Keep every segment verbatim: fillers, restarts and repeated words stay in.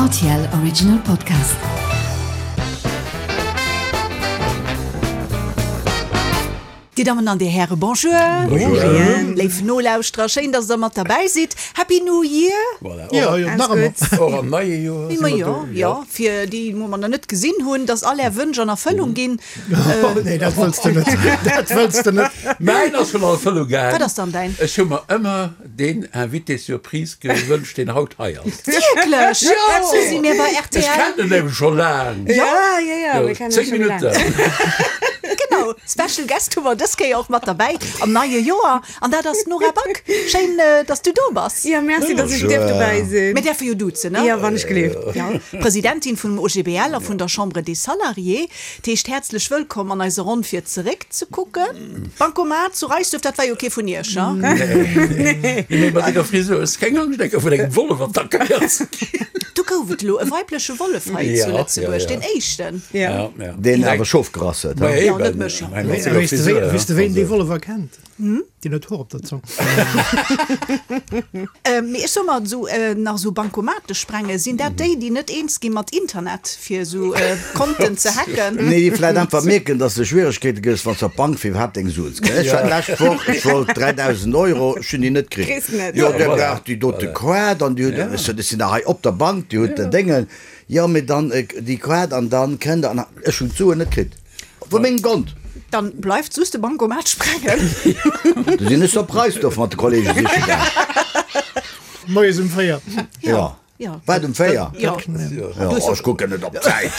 R T L Original Podcast. Dir Dammen an Dir Häre, Bonjour. Bonjour. Léif Nolauschterer, schéin, dass Der mat derbäi sidd. Happy New Year. Voilà. Ja, jo, nach ëmmer. Och am neie Joer si Ma mer jo, do. jo, fir déi, wou mer nach net gesinn hunn, dass all Är Wënsch an Erfëllung ginn. Oh, nee, dat wëlls de net. Dat wëlls de net. Mäin ass schonn an Erfëllung gaang. Wat ass dann däin? Ech hu mer ëmmer deen Invité surprise gewënscht, deen haut hei ass. Wierklech? Jo! Sou si mir bei Ech R T L. kennen en nämlech scho laang. Ja, ja, ja, mir kennen Zéng schon laang. Minutten. Genau, Special Guest hu mer dës Kéier och mat derbäi am neie Joer an dat ass d'Nora Back. Schéin, dass du do bass. Ja, merci, dass ech dierf dobäi sinn. Mir däerfe jo duzen, ne? Ja, wann ech gleeft. Ja, Presidentin vum O G B L a vun der Chambre des Salariés. Dat heescht, häerzlech wëllkomm an eiser Ronn fir zeréck ze kucken. Bancomat zu Reisduerf, dat war jo kee vun iech, ne? Nee, mee mat denger Frisur hues de keng Angscht, eng Kéier vun engem Wollef attackéiert ze ginn? Do gouf et elo e weibleche Wollef hei zu Ja, ja, Lëtzebuerg, ja. deen éischten. Ja. Ja, ja. Deen awer Schof gerass huet, Ma he? Ja, eben. net mech. Mat Weess senger de, Frisur, weess de, ween dee also. Wollef erkennt? Deen huet Hoer op der Zong. Mee ech soe mer, esou nach esou Bankomate sprengen, sinn dat déi, déi net eens gi mat Internet, fir esou Konten ze hacken? Nee, déi vläit einfach mierken, dass de Schwieregkeete kriss, wann s de op d'Bank fir iwwerhaapt deng Suen ze kréien. Ech war d'lescht Woch, ech wollt dräidausend Euro, ech hunn déi net kritt. Kriss net. Jo, der Voilà. braucht déi dote Kaart an déi huet, ech sot, ech sinn da hei op der Bank, déi huet den Déngen, jo, mee dann déi Kaart an dann kënnt der, an ech hunn d'Suen net kritt vu mengem Kont. Dann bleift just de Bankomat sprengen. Du sinn ech op Reisdorf mat de Kollege siche gaang. Moies um véier. Ja. Ja. Wat, um véier? Ja. Ja, oh, ech kucken net op d'Zäit.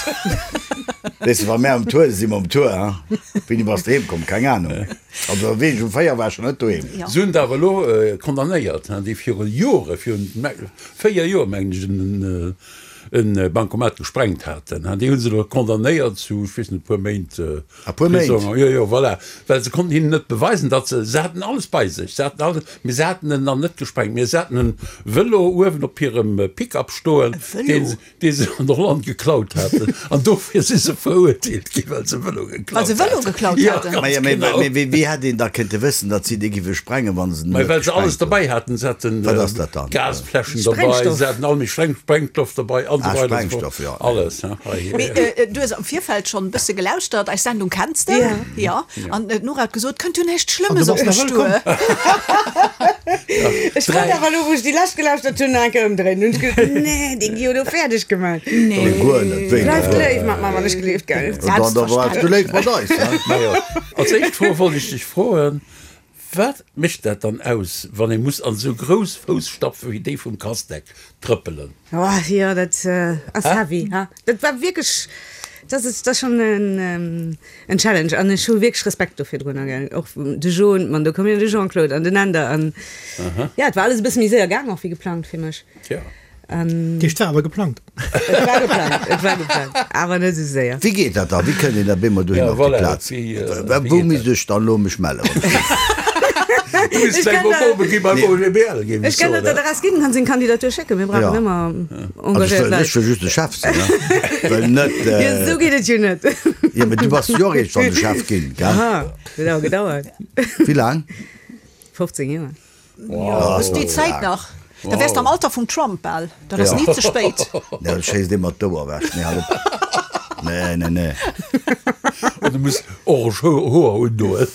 Weess de, wa mär um Tour si si mer um Tour, hein. Wéini bass de heem komm? Keng Ahnung. Also wéi ech um véier war ech schon net doheem. Ja. Se hunn der awer elo condamnéiert, hein, déi viru Jore, virun véier Joer mengen ech, en en Bancomat gesprengt haten, hein. Déi hu se elo condamnéiert zu, ech weess net, e puer Méint A puer Méint? Prisong. Jo, jo, voilà. Well se konnten hinnen net beweisen, datt se, se haten alles bei sech, se haten alles, mee se haten en dann net gesprengt, mee se haten en Vëlo uewen op hirem Pick-up stoen, deen se, dee se an Holland geklaut haten. An dofir si se verurteelt ginn, well se Vëlo Well geklaut se Vëlo haten. geklaut Ja, haten? ganz Maja, mee, genau. mee wéi, wéi hätt een da kënnte wëssen, datt si dee géife sprengen, wa se en Mä net well se alles gesprengt hunn? derbäi haten, se haten Wat ass dat dann? Gasfläschen derbäi, Sprengstoff. se haten all méi Spreng, Sprengstoff derbäi an Ah, esou weider an esou fort. Sprengstoff, ja. Alles, hein, hei. Mee äh, du hues am Virfeld schonn e bësse gelauschtert, eis Sendung kenns de. Ja. Ja. An äh, d'Nora huet gesot, kënnt jo näischt An du Schlëmmes bass op nach mech duer. wëllkomm. Ech wollt awer elo, wou ech déi lescht gelauschtert hunn, nach eng Kéier ëmdréinen. Hunn ech geduecht, nee, déi gi jo do fäerdeg gemaach. Nee. Guer net, wéi Bleift net? léif mat mer, wann ech gleeft, gell? Dann, da bleifs du léif mat eis, hein? Majo. Als éischt Fro wollt ech dech froen, Wat mécht dat dann aus, wann ee muss an esou grouss Fousstapfe wéi déi vum Castex trëppelen? Oh, jo, dat ass heavy, ha? Dat war wierklech, dat ass, dat ass schonn en, en Challenge an ech hu wierklech Respekt do virdrunner, gell? Och de Jean, man, do koum jo de Jean-Claude an den Änder an, ja, et war alles e bësse méi séier gaang och wéi geplangt fir mech. Tja. An Déi war awer geplangt. et war geplangt, et war geplangt, awer net esou séier. Wéi geet dat da? Wéi kënnt een da bemol dohin Ja, op déi voilà, Plaz? wéi, äh, wéi Wou geet misst dat? ech dann elo mech mellen? Du misst Ech vläicht kann mol der- probe gi beim O G B L, géif ech Ech kann soen, der d'Adress ginn, kann seng Kandidatur schécken, mir brauchen Ja. ëmmer Also ech engagéiert wëll, Leit. ech wëll just de Chef sinn, ne? Well net, Jo, äh, esou geet et jo net. Jo, mee du bass jo och eréischt dann de Chef ginn, gell? Aha, huet awer gedauert. Wéi laang? fofzéng Joer. Jo, hues déi Zäit nach. Da wäers de am Alter vum Trump bal. Dat ass ni ze spéit. Nee, dat schéisst ee mat d'Ouer ewech. Nee, hal op. Nee, nee, nee. An du muss orange Hoer undoen.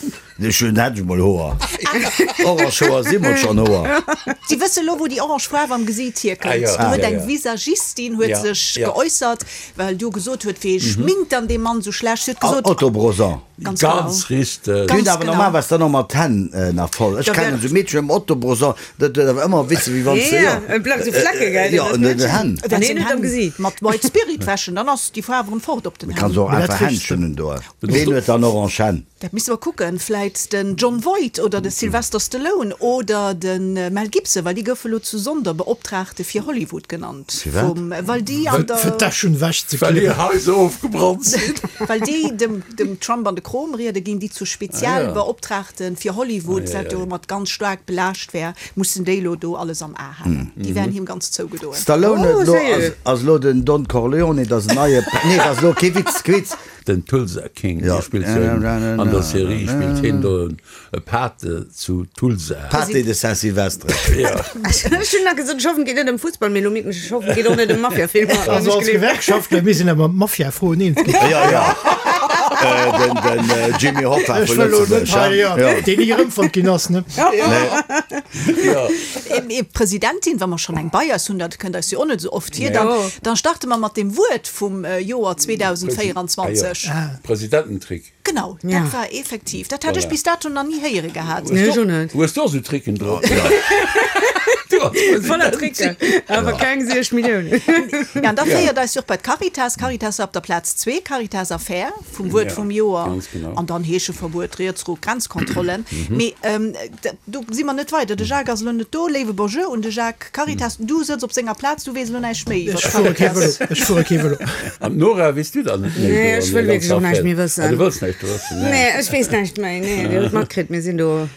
Ech hunn, hätt ech mol Hoer. Orange Hoer si mol schonn Hoer. Si wësse lo, wou déi orange Faarf am Gesiit hierkënnt. Ah jo, Do huet ja, eng ja. Visagistin huet Ja, sech ja. geäussert, well du gesot huet, wee schminkt dann dee Mann sou schlecht. Si huet gesot, Autobronzant. Ganz genau. Ganz richteg. Déi hunn Ganz awer genau. normalerweis dann och mat d'Hänn nach voll. Ech Da kennen wär- esou Meedchen mam Autobronzant, dat huet awer ëmmer wéi wéi wann se, Ja, jo. et bleift esou Flecke, gell? Jo, un den Hänn. Wäert Nee, seng net am Hänn Gesiit. mat White Spirit wäschen, dann ass déi Faarf erëm fort op den Du kanns Hänn. och Mee dat einfach riechs de. Händschen undoen. Ween huet dann orange Hänn? Dat misste mer kucken, vläit den Jon Voight oder de Sylvester Stallone oder de Mel Gibson, well déi goufe lo zu Sonderbeoptraagte fir Hollywood genannt. Firwat? Vum, well déi an der. Fir d'Äschen ewech ze Well hir klippen. Haiser ofgebrannt sinn. Well déi dem, dem Trump an de Krom riede ginn, déi zu Spezialbeoptraagte fir Hollywood, wat jo mat ganz staark belaascht wär, mussen déi lo do alles am A halen. Déi wären him ganz zougedoen. Stallone Oh, huet lo, sérieux? ass, ass lo den Don Corleone, dat ass en neie, nee, dat ass lo kee Witz, kee Witz. Den Tulsa King, dee spillt jo an der Serie, spillt hien do e Pate zu Tulsa. Pate de Saint-Sylvestre. Ech hunn nach gesot, ech hoffen, et geet net ëm Fussball, mee elo mierken ech, ech hoffen, et geet och net ëm Mafia-Filmer. Also als Gewerkschaftler, mir sinn awer mat Mafia-Froen eens ginn. Jo, jo. Den, den Jimmy Hoffa Ech vu wëll elo net Lëtzebuerg, hei, ja. jo, deen ni erëmfonnt ginn ass, ne? Jo. Mee Presidentin, wa mer schonn eng bei eis hunn, dat kënnt eis jo och net esou oft vir, dann, dann starte mer mat dem Wuert vum Joer zweedausendvéierundzwanzeg. Presidententrick. Genau, dat war effektiv, dat hat ech bis dato nach ni héiere gehat. Nee, ech och net. Hues du och esou Tricken drop? Du als Voller Presidentin. Tricken, awer keng siech Milliounen. Ja, an da féiert eis jo och bei d'Caritas. Caritas war op der Plaz zwee, Caritas Affär vum Wuert vum Joer. Ganz genau. An dann Heescheverbuet, Rietsruck, Grenzkontrollen. Mee do si mer net weider. De Jacques ass elo net do. Léiwe Bonjour un de Jacques. Caritas, du sëtz op senger Plaz, du weess elo näischt méi iwwer Ech fuere kee d'Caritas. Vëlo. Ech fuere kee Vëlo. An d'Nora, weess du dann net méi Nee, do ech an wëll der wierklech och ganzer näischt méi Affär? Ah, wëssen. du wëlls näischt wëssen, nee. Nee, ech weess näischt méi. Nee, Dir hutt matkritt, mir sinn do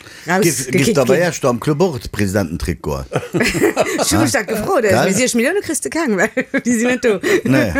Giff, giff rausgekickt der bei ginn. Iech do am Club och de Presidententrick goen? Ech hu mech dat gefrot, Gell? mee siech Millioune kriss de keng, well déi sinn net do. Nee.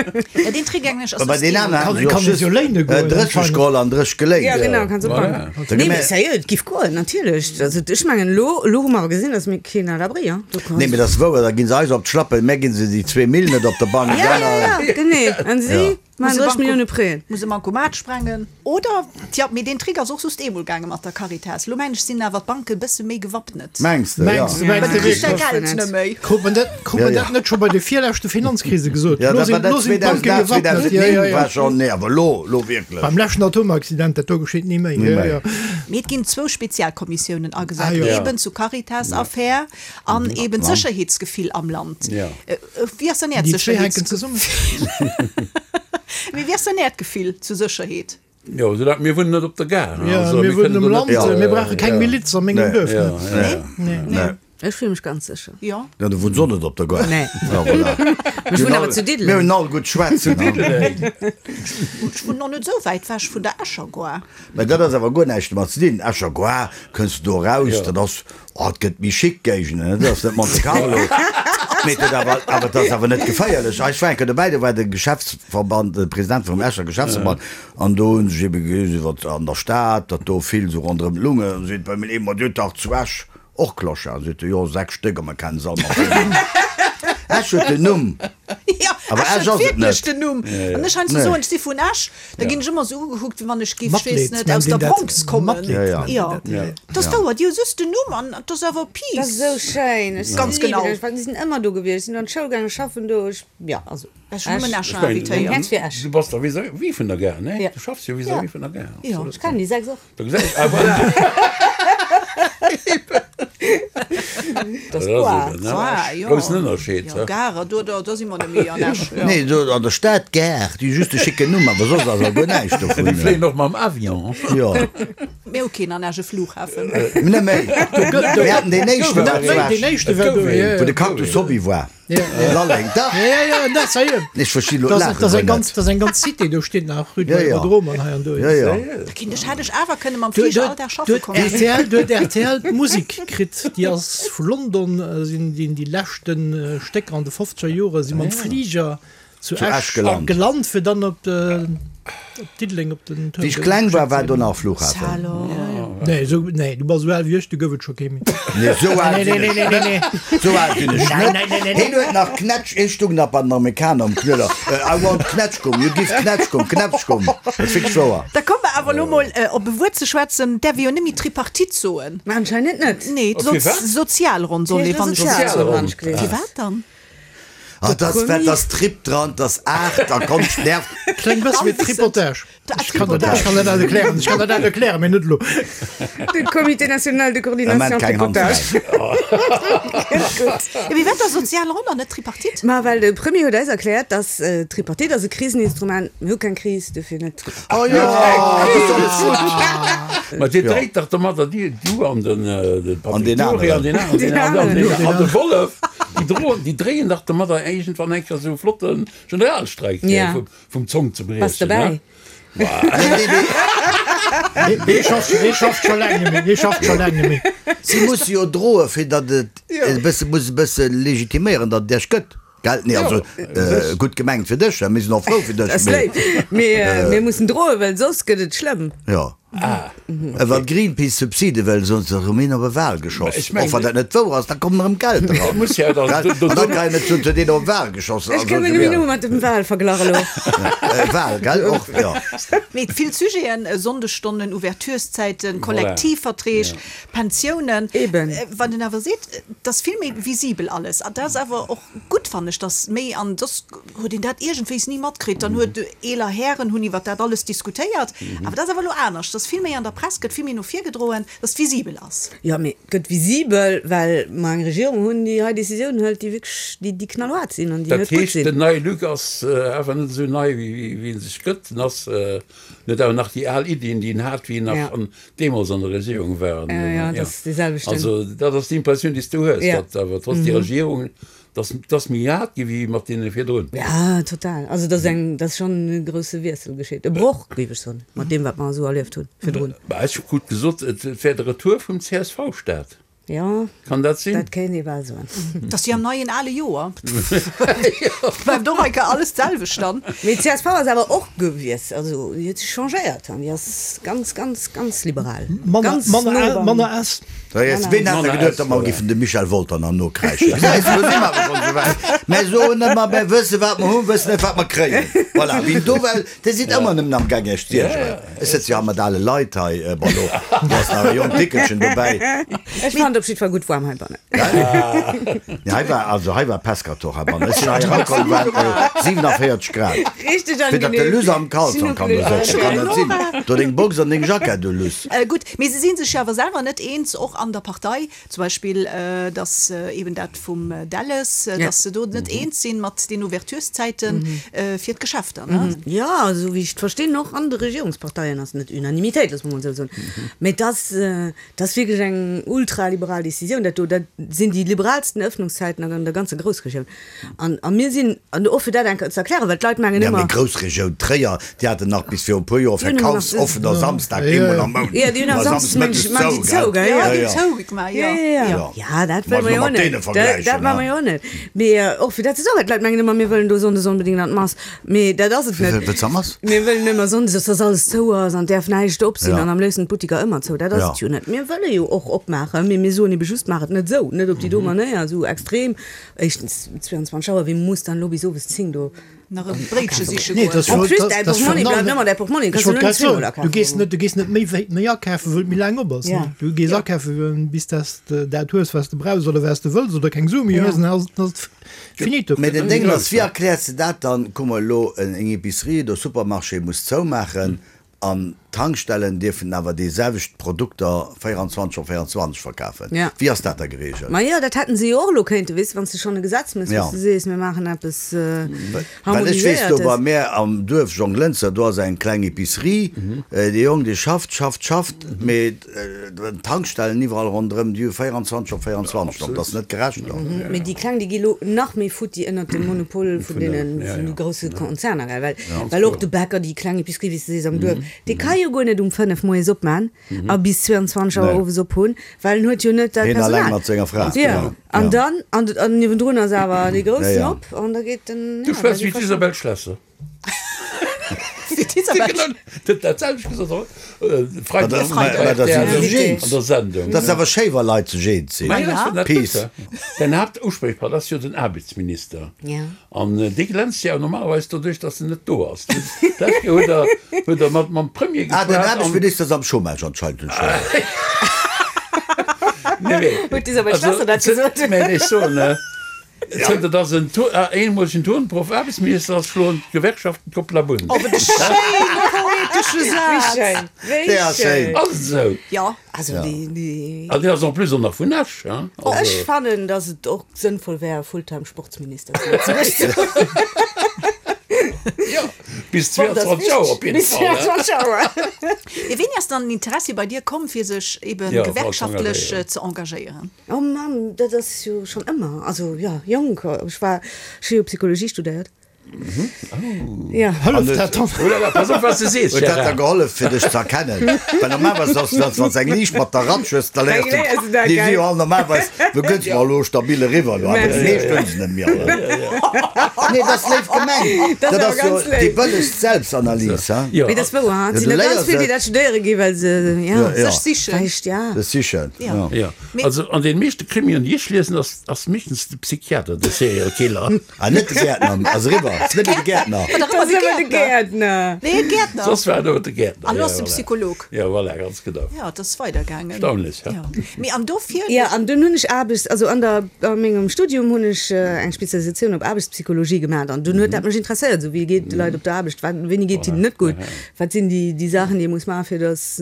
Ja, deen Trick englech ass Bei soss den keen. aneren Kann- haten se kann och se jo just léine goen, drécheg anscheinend. geholl an drécheg geléint. Ja, genau, kanns op Voilà. d'Bank. Da Nee, gi mee mir- sérieux, et giff goen, natierlech. Also, ech mengen, elo, elo hu mer awer gesinn, dass mir keen à l'abri, hein. Du kanns. Nee, mee dat ass wouer, da ginn se eis op d'Schlappen, mär ginn se déi zwee Mille net op der Bank. Ja, ja, ja, genee. An si Ja. maachen Muss e drécheg Banco- Millioune Prêt. Muss e Bancomat sprengen. Oder, tja, mee deen Trick ass och soss eemol gaange mat der Caritas. Lo mengen ech, sinn awer d'Banke bësse méi gewappnet. Mengs de, ja. Mengs de, mengs Well de du kriss däi wierklech? Geld net méi. Krut man dat, krut Ja, man ja. dat net scho bei de virleschte Finanzkrise gesot? Ja, Lo dat war sinn, dat lo sinn d'Banke zweedausendaacht, gewappnet. Ja, ja, zweedausendnéng ja. war schon, nee, awer lo, lo wierklech. Beim leschten Atomaccident, dat do geschitt ni méi. Ni Ja, méi. ja. Mee et ginn zwou Spezialkommissiounen agesat, Ah, jo. Ja. eben zu Caritas-Affär an eben d'Sécherheetsgefill am Land. Ja. Äh, Wéi ass dann Äert Déi zwee hänken Sécherheetsgefill? zesummen. Mee wéi ass dann Äert Gefill zu Sécherheet? Jo, soulaang mir wunnen net op der Gare, Ja, also mir mir wunnen kënnen am do Land, net, mir brauche keng ja. Miliz a mengem Nee. Duerf. Ja, ne? ja. Nee. Nee. Ech fühle mech ganz sécher. Ja. Ja, du wunns och net op der Gare. Nee. Ja, voilà. Ech wunnen awer zu Mir Diddeleng. hunn all gutt schwätzen. Ech wunnen och net esou wäit wech vun der Escher Gare. Mä dat ass awer guer näischt domat ze dinn. Escher Gare, kënns du do raus, Ja. dat ass, oh, et gëtt méi chic Géigenden, dat ass net Monte Carlo. Mee dat awer, awer dat ass awer net geféierlech. Ech war eng Kéier dobäi, do war de Geschäftsverband, de President vum Escher Geschäftsverband, an do hunn sech ebe gees iwwer an der Stad, datt do vill sou ronderëm d'Lunge, an seet bei mir ee, ma Dir hutt dach zu Esch och Clocharden. Seet e, jo, sechs Stéck, a mer kennen se all mat Numm. Esch huet den Numm. Ja, Awer Esch Esch huet ass et wierklech net. den Numm. An ech heiansdo Nee. soen, ech si vun Esch, da ginn ech ëmmer esou ugekuckt, wéi wann ech géif, ech weess Matleed net, nennt aus een der dat. Bronx kommen. Matleed Ja, ja. nennt een Ja. dat. Ja. Dat ass wouer, déi hu just den Numm an dat ass awer Dat ass Peace. esou schéin. Ech Ganz lieben genau. Esch. Ech sinn ëmmer do gewiescht. Ech sinn an d'Schoul gaangen, schaffen do. Ech, ja, also Ech hunn nëmmen Esch. Escher Ich mein, invitéiert. Häerz fir Esch. Du bass da vis-à-vis vun der Gare, ne? Ja. Du schaffs jo vis-à-vis vun der Gare. Ja. Ech kennen déi sechs och. Da gesäis, ah, voilà. Dat ass Dat ass Gare. eben, ne? Ah, jo. Groussen Ënnerscheed, Ja, ja. Gare, do, do, do si mer net méi an Esch. Ja. Nee, do an der Stad Gare, déi hu just de schicken Numm, awer soss ass awer guer näischt Déi dovun. fléien och mam Avion. Jo. Mir hu keen an Esch e Flughafen. Net méi. Mir haten deen éischten Net war zu méi, deen Esch, éischte war do, ja, wou ja. de Cactus Hobby war. Ja, ja. Lalleng, dach. Ja, ja, ja, dat sérieux. Ech versti lo Das, d'Laache das guer eng ganz, net. das eng ganz Cité, do steet nach Rue Ja, ja. Aerodrome an hei an do. Ja, ja. Da kinnt ech, hätt ech awer kënne mam Du, Flieger du, all Dag du schaffe huet kommen. R T L, du huet R T L d'Musik kritt, déi ass vu London, äh, sinn déi déi leschten äh, Stécker an de fofzeger Jore si mam Flieger zu Zu Esch Esch gelant. gelant, fir dann op de, op Diddeleng op den Wéi ech kleng war, war do nach Flughafen. Hallo. Nee, so, nee, du bass esou al wéi ech, du gouf et scho kee méi. Nee, sou al Nee, sinn nee, ech nee, nee, nee, nee. Sou al sinn ech Nein, net. nein, nein, nein, Hien huet nach Knätsch, ech stung nach bei den Amerikaner am Knüller. Äh, I want Knätschgumm, you give Knätschgumm, Knätschgumm. Dat ass wierklech wouer. Da komme mer awer elo mol äh, op e Wuert ze schwätzen, däerf ee jo net méi Tripartite soen. Ma anscheinend net. Nee, Op so firwat? Sozialronn soll ee, wann ech Sozialronn. Sozialronn. Firwat dann? Ah, das war das Trip dran, das Acht, da kommt nervt. Klingt bësse wéi Tripotage. Ah, Ich kann dat, ich kann dat erklären, ich kann dat erklären, mee net elo. De Comité national de coordination Moment, keng Hand Tripotage. Ja, wéi wat da Sozialronn an net Tripartite? Ma well de Premier huet eis erkläert, dass äh, Tripartite ass e Kriseninstrument, mir hu keng Kris, dofir net Tripartite. Oh ja, das ist alles gut. Ma dir dréit dach domadder die, du an den, äh, den An den Patrick Dury, aneren. an den anderen, Den an den, aneren. an de Wollef. Die drohen, die dréien dach domadder irgendwann eng Kéier so flotten Generalstreik äh, Ja. vum, vum Zong ze Bass briechen. dobäi? Ne? Nee, nee, schafft, nee, schafft scho laang net méi, nee, schafft scho laang net méi. Sie muss jo drohen, fir datt et e bësse, muss e bësse legitiméieren, datt et Iech gëtt. Gell? Nee, also gutt gemengt fir dech, mir sinn och frou fir dech, Ass mee. léif. Mee mir mussen droen, well soss gëtt et schlëmm. Jo. Wann Greenpeace Subside wëll, soen se erëm een op e Wal geschoss. Ech mengen, Och wann dat net wouer ass, da kommen erëm Geld eran. Muss ja dann- Gell? do- An da kréien et huet een op e Wal geschoss. Ech Also, kënne jo. mir nëmme mat dem Walverglach elo. E Wal, gell? Och, jo. Mee vill Sujeten, Sonndesstonnen, Ouvertureszäiten, Kollektivverträg, Pensiounen. Eben. Wann een awer seet, et ass vill méi visibel alles. An dat ass awer och gutt, fannen ech, dass méi, an soss huet een dat iergendwéis ni matkritt. Dann huet eeler Hären hunn iwwer dat alles diskutéiert. Awer dat ass awer elo anescht, dass vill méi an der Press gëtt, vill méi no vir gedroen, dass et visibel ass. Jo, mee et gëtt visibel, well mer eng Regierung hunn, déi hei Decisiounen hëlt, déi wierklech, déi, déi knallhaart sinn an déi Dat net gutt heescht, sinn. den neie Luc ass awer net esou nei, wéi, wéi en sech gëtt. En ass, en huet awer nach déi al Iddien, déi en hat, wéi en nach Ja. an, deemools an der Regierung war. Ja, ja, dat ass déi selwechten. Also dat ass d'Impressioun, déi s du hues, Ja. datt awer trotz déi Regierung, datt, datt méi hart gi wéi mat deene virdrun. Ja, total. Also dat ass eng, dat ass schonn e grousse Wiessel geschitt, e Broch, géif ech soen, mat deem, wat mer esou erlieft hunn virdrun. Bah, ech hu gutt gesot, et wär de Retour vum C S V-Staat. Ja, Kann dat sinn? dat kéint ee bal soen. Dat ass jo am neien ale Joer. Bleift och enke alles d'selwecht dann. Mee d'C S V ass awer och gewiess, also déi huet sech changéiert an déi ass ganz, ganz, ganz liberal. Manner, Ganz manner, no beim- manner S. Da jetzt, ween hat da Manner geduet, S, datt mer voilà. giffen de Michel Wolter nach nokräischen? Gesäis du, do si mer awer schonn esou wäit. Mer soen ëmmer, mer wësse wat mer hunn, wëssen net wat mer kréien. Voilà, wien do well, dir sidd ëmmer nëmmen am Gang iech z'iergeren. Ech sëtze jo hei mat ale Leit hei, bon, do, do ass nach e jonkt Dickelchen dobäi. Ech fand op jiddwer Fall gutt waarm heibannen. Nee, hei war, also hei war Pestkatoch heibannen. Ech sinn hei erakomm, war äh, siewenundvierzig Grad. Richtig Fir datt de angenehm. Luss am Kalzong kann do sëtzen, kann dat sinn. Do deng Box an deng Jackett, du Luss. Äh, gutt, mee se si sech jo awer selwer net eens, och an der Partei, zum Beispill, äh, dass, äh, eben dat vum Delles, äh, Ja. dass se do net eens sinn mat den Ouvertureszäiten, äh, fir d'Geschäfter, ne? Ja, esou wéi ech d'verstinn, och an de Regierungsparteien ass net Unanimitéit, loosse mer mol esou soen. Mee das, äh, das ass wierklech eng ultraliberal Decisioun, dat do, dat sinn déi liberalsten Öffnungszeiten an der ganzer Groussregioun. An, a mir sinn, an och fir dat eng Kéier ze erklären, well d'Leit mengen Ja, mee ëmmer Groussregioun Tréier, déi haten nach bis viru e puer Joer Déi hunn ëmmer nach verkaufsoffener Samstag, Ja, eemol ja. am Mount. Ja, déi hunn am Ma Samsdes Samsdes mengen ech, man déi mëttes zou, gell? Ja, Ja, déi ja. zou gemaach, ja. Ja, ja, ja. Ja. Ja, dat Muss wëlle mer man jo mat net. deene Dat, vergläichen, dat maache ne? mer jo net. Mee, äh, och fir dat ze soen, well d'Leit mengen ëmmer, mir wëllen do sonndes onbedéngt an d'Mass. Mee dat ass et net. Wat ass Mass? Mir wëllen ëmmer sonndes, dass das alles zou ass an däerf näischt op sinn Ja. an am léifsten d'Buttiker ëmmer zou. Dat ass Ja. et jo net. Mir wëlle jo och opmaachen, mee mir soen ebe just, maach et net sou, net op déi do Manéier, sou extrem. Éischtens zweiundzwanzeg Auer, wie muss dann elo bis owes zéng do Nach e Bréitche siche Nee, goen? das En wollt- plus, das- däi das Portmonni fir bleift ëmmer däi Portmonni, Ech kannst du wollt net grad soen, zweemol du akafen. gees net, du gees net méi wéi méi akafen, wëll et méi laang op ass, Ja. ne? Du gees Ja. akafen, bis dass de dat hues, was du brauchs oder was du wëlls oder keng Sue méi Ja. hues, dann ass ass et finito. Mee den Ding ass, wéi erkläers de dat dann? Kuck mol elo, eng Epicerie oder Supermarché muss zoumaachen an Tankstellen dierfen awer déi selwecht Produkter véierundzwanzeg op véierundzwanzeg verkafen. Ja. Wéi ass dat da geregelt? Ma jo, dat hätten se jo och elo kéinte, weess, wann s de schonn e Gesetz méchs, Ja. wou s de sees, mir maachen eppes Well ech weess, do Harmoniséiertes. bei mär am Duerf Jonglënzer, do ass eng kleng Epicerie. Dee Jong, dee schafft, schafft, schafft, mee d'Tankstellen iwwerall ronderëm, déi hu véierundzwanzeg op véierundzwanzeg op. Dat ass net gerecht do. Mee déi kleng, déi gi lo nach méi futti ënnert dem Monopol vun deenen, ja, vun de ja. grousse Konzerner, gell? Well, well och de Bäcker, déi kleng Epicerie, wéi s de sees, am Duerf, dee ka jo guer net um fënnef moies opman a bis zweiundzwanzeg Auer Nee. owes op hunn, well en huet jo net dat Hien alleng Personal. mat senger Fra. Ja. Ja. An Ja. dann, an, an niewendrun ass awer dee groussen Ja, ja. op an da geet den, Du ja, da schwätz gi wéi d'Isabel Schlesser. Wéi d'Isabel Genau, dat dat selwecht gesot, oder? Äh, Freitag, Ma dat- Freitag, ma dat sinn R T L se jeans. an der Sendung. Dat ass awer schéi, wa Leit sech eens sinn. Ma ja, Ja. dat Peace. gut, Den Hauptansprechpartner ass jo den Arbeitsminister. Ja. An äh, dee glänzt ja normalerweis doduerch, dass en net do ass. Dat huet er, huet er mat mam Premier Ah, den geschwat an- Aarbechtsminister ass am Chômage anscheinend schon. Nee, nee. Huet d'Isabel Also, Schlesser dat ze- gesot? Mä ech soen, äh, zënter dass en To-, äh, eenmolegen Turnproff Aarbechtsminister ass, schloen d'Gewerkschaften d'Kopp Labunn. Oh, wat e schéine poetesche Wéi Saz. schéin, wéi Der ass schéin. schéin. Ass et esou? Ja. Also, déi, déi An dee ass en plus och nach vun Esch, hein? Also, Ech fannen, dass et och sënnvoll wär, Fulltime Sportsminister zu Lëtzebuerg. ja, bis zweiundzwanzeg Auer op jeden Bis Fall, hein? zweiundzwanzeg Auer. Mee wéini ass dann den Interessi bei dir komm, fir sech eben Ja, gewerkschaftlech voll ze engagéieren? Oh Mann, dat ass jo schonn ëmmer. Also ja, jonk. Ech war, ech hu jo Psychologie studéiert. Ja. Hëlleft dat dann? Oh la la, pass op wat s de sees, Huet dat da Gérard. gehollef fir dech ze erkennen? Well normalerweis ass dat, wann s eng liicht mat der Ratsch hues, da léiers Da léiers du du dat, déi si gell? jo all normalerweis, du gëtt mer elo stabil eriwwer elo, awer déi meescht hunn se net méi alle. Nee, dat ass léif gemengt. Dat ass Dat awer ass jo ganz déi léif. bëllegst Selbstanalys, ha? Jo. Mee dat ass wouer, ha? Et Ja, sinn du der ganz léiers vill, déi et. dat studéiere ginn, well se, ja, Ja, ja. Sech sichen. Vläicht, ja. Das sichen, Ja. ja. Ja, also an den meeschte Krimien, déi ech liesen, ass, ass meeschtens de Psychiater de Serial Killer. Ah, net de Gärtner, ass eriwwer. Ass net méi de Gärtner. War dach Dat ëmmer ass de ëmmer de Gärtner. Gärtner. Nee, Gärtner. Soss war et ëmmer de Gärtner. An lo Ja, ass de voilà. Psycholog. Ja, voilà, ganz genau. Ja, dat ass weidergaangen. Erstaunlech, ja. Ja. Mee an dofir. Ja, an dunn hunn ech Aarbechts-, also an der, a mengem Studium hunn ech eng Spezialisatioun op Aarbechtspsychologie gemaach an dunn huet dat mech interesséiert, esou wéi geet de Leit op der Aarbecht, wat, wéini geet hinnen net gutt, wat sinn déi, déi Saachen, déi ee muss maachen, fir dass,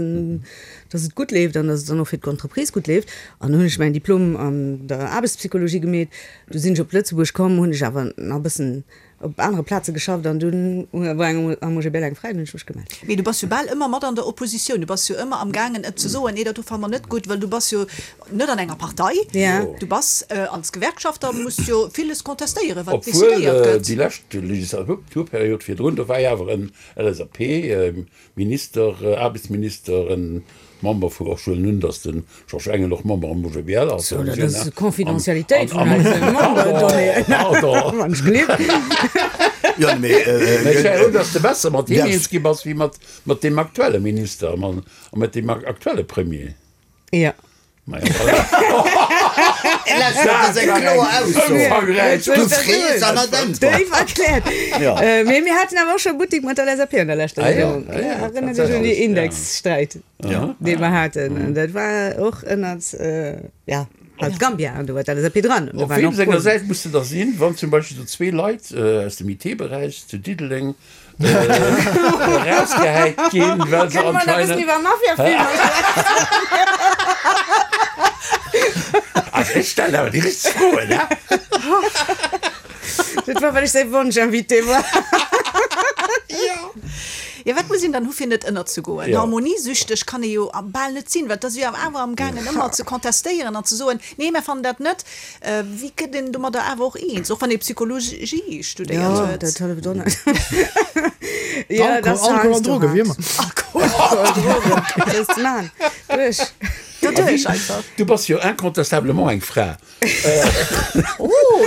dass et gutt leeft an dass et dann och fir d'Entreprise gutt leeft. An hunn ech mäin Diplom an der Aarbechtspsychologie gemeet. Du sinn ech op Lëtzebuerg komm, hunn ech awer nach e bëssen op anere Plaze geschafft an dunn war eng am O G B L eng fräi, dunn hunn ech mech gemellt. Mee du bass jo bal ëmmer mat an der Oppositioun, du bass jo ëmmer am gaangen et ze soen, nee dat do fanne mer net gutt, well du bass jo net an enger Partei, Ja. du bass als Gewerkschafter, muss jo villes contestéieren, wat Obwuel decidéiert gëtt. déi lescht Legislaturperiod virdrun, do war jo awer en L S A P-Minister, Aarbechtsminister, en Member vu, och schon nun, dass den Georges Engel och Member am O G B L ass. So, dat ass d'Confidentialitéit vun eise Memberdonnéeën. Pardon. Wann ech gleef. Jo, mee, äh, Mä ech war froh, dass de besser mat him Ja. eens gi bass wéi mat, mat deem aktuelle Minister a mat deem aktuelle Premier. Ja. Ma ja, voilà. Dat ass eng kloer Ausso. Ëmfangräich. Du frees an net äntwert. Déif erkläert. Ja. Äh, mee mir haten awer och scho Buttik mat der L S A P an der leschter Ah ja, Regierung. ah ja, Ja, erënnert dech un déi tatsächlech, ja. Indexsträit, Ja. dee mer haten. An dat war och ënnert, äh, ja, halt Gambia, an do war d'L S A P dran. An do Op waren wem och senger Polen. Säit muss de da sinn, wann zum Beispill so zwee Leit äh, aus dem I T-Beräich zu Diddeleng äh, rausgehäit ginn, well se Kënne mer nach e bëssen anscheinend iwwer Mafia-Filmer schwätzen? Also ech stellen awer déi richteg Froen, ne? Dat war, well ech säi Wonsch-Invité war. Ja, wat muss een dann hu fir net ënnerzegoen? Ja. Harmoniesüchteg kann ee jo bal net sinn, well dat ass jo awer am gaangen ëmmer ze contestéieren an ze soen, nee, mir fannen dat net. Äh, wéi gëtt een domadder awer och eens, och wann ee Psychologie studéiert Ja, huet? dat hëlleft och net. Ja, Alkohol, dat ass Alkohol an heiansdo Drogen, wéi hart. ëmmer. Alkohol. Alkohol, Drogen, dat ass ze maachen. Duerch. Doduerch einfach. Du bass jo incontestablement eng Fra. Oh,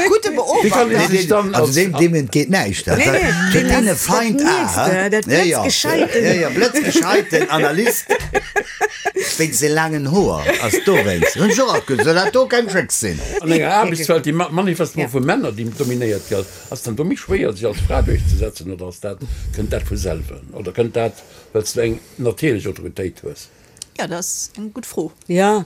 gute Wie kann Beobachtung. een sech dann Also als deem, deem entgeet näischt. Nee, nee, Fir deen deen ass Feind dat ah, nächste, hä? dat Ja, ja. blitzgescheiten. Ja, ja, blitzgescheiten Analyst. Wéinst de laangen Hoer ass dowéinst. Hunn ech och alt gesot, dat do keng Schréck sinn. An enger Aarbechtswelt, déi manifestement Ja. vu Männer déi dominéiert gëtt, ass dann do méi schwéier, sech als Fra duerchzesetzen, oder ass dat, kënnt dat vu selwer? Oder kënnt dat, well s du eng natierlech Autoritéit hues? Ja, dat ass eng gutt Fro. Ja,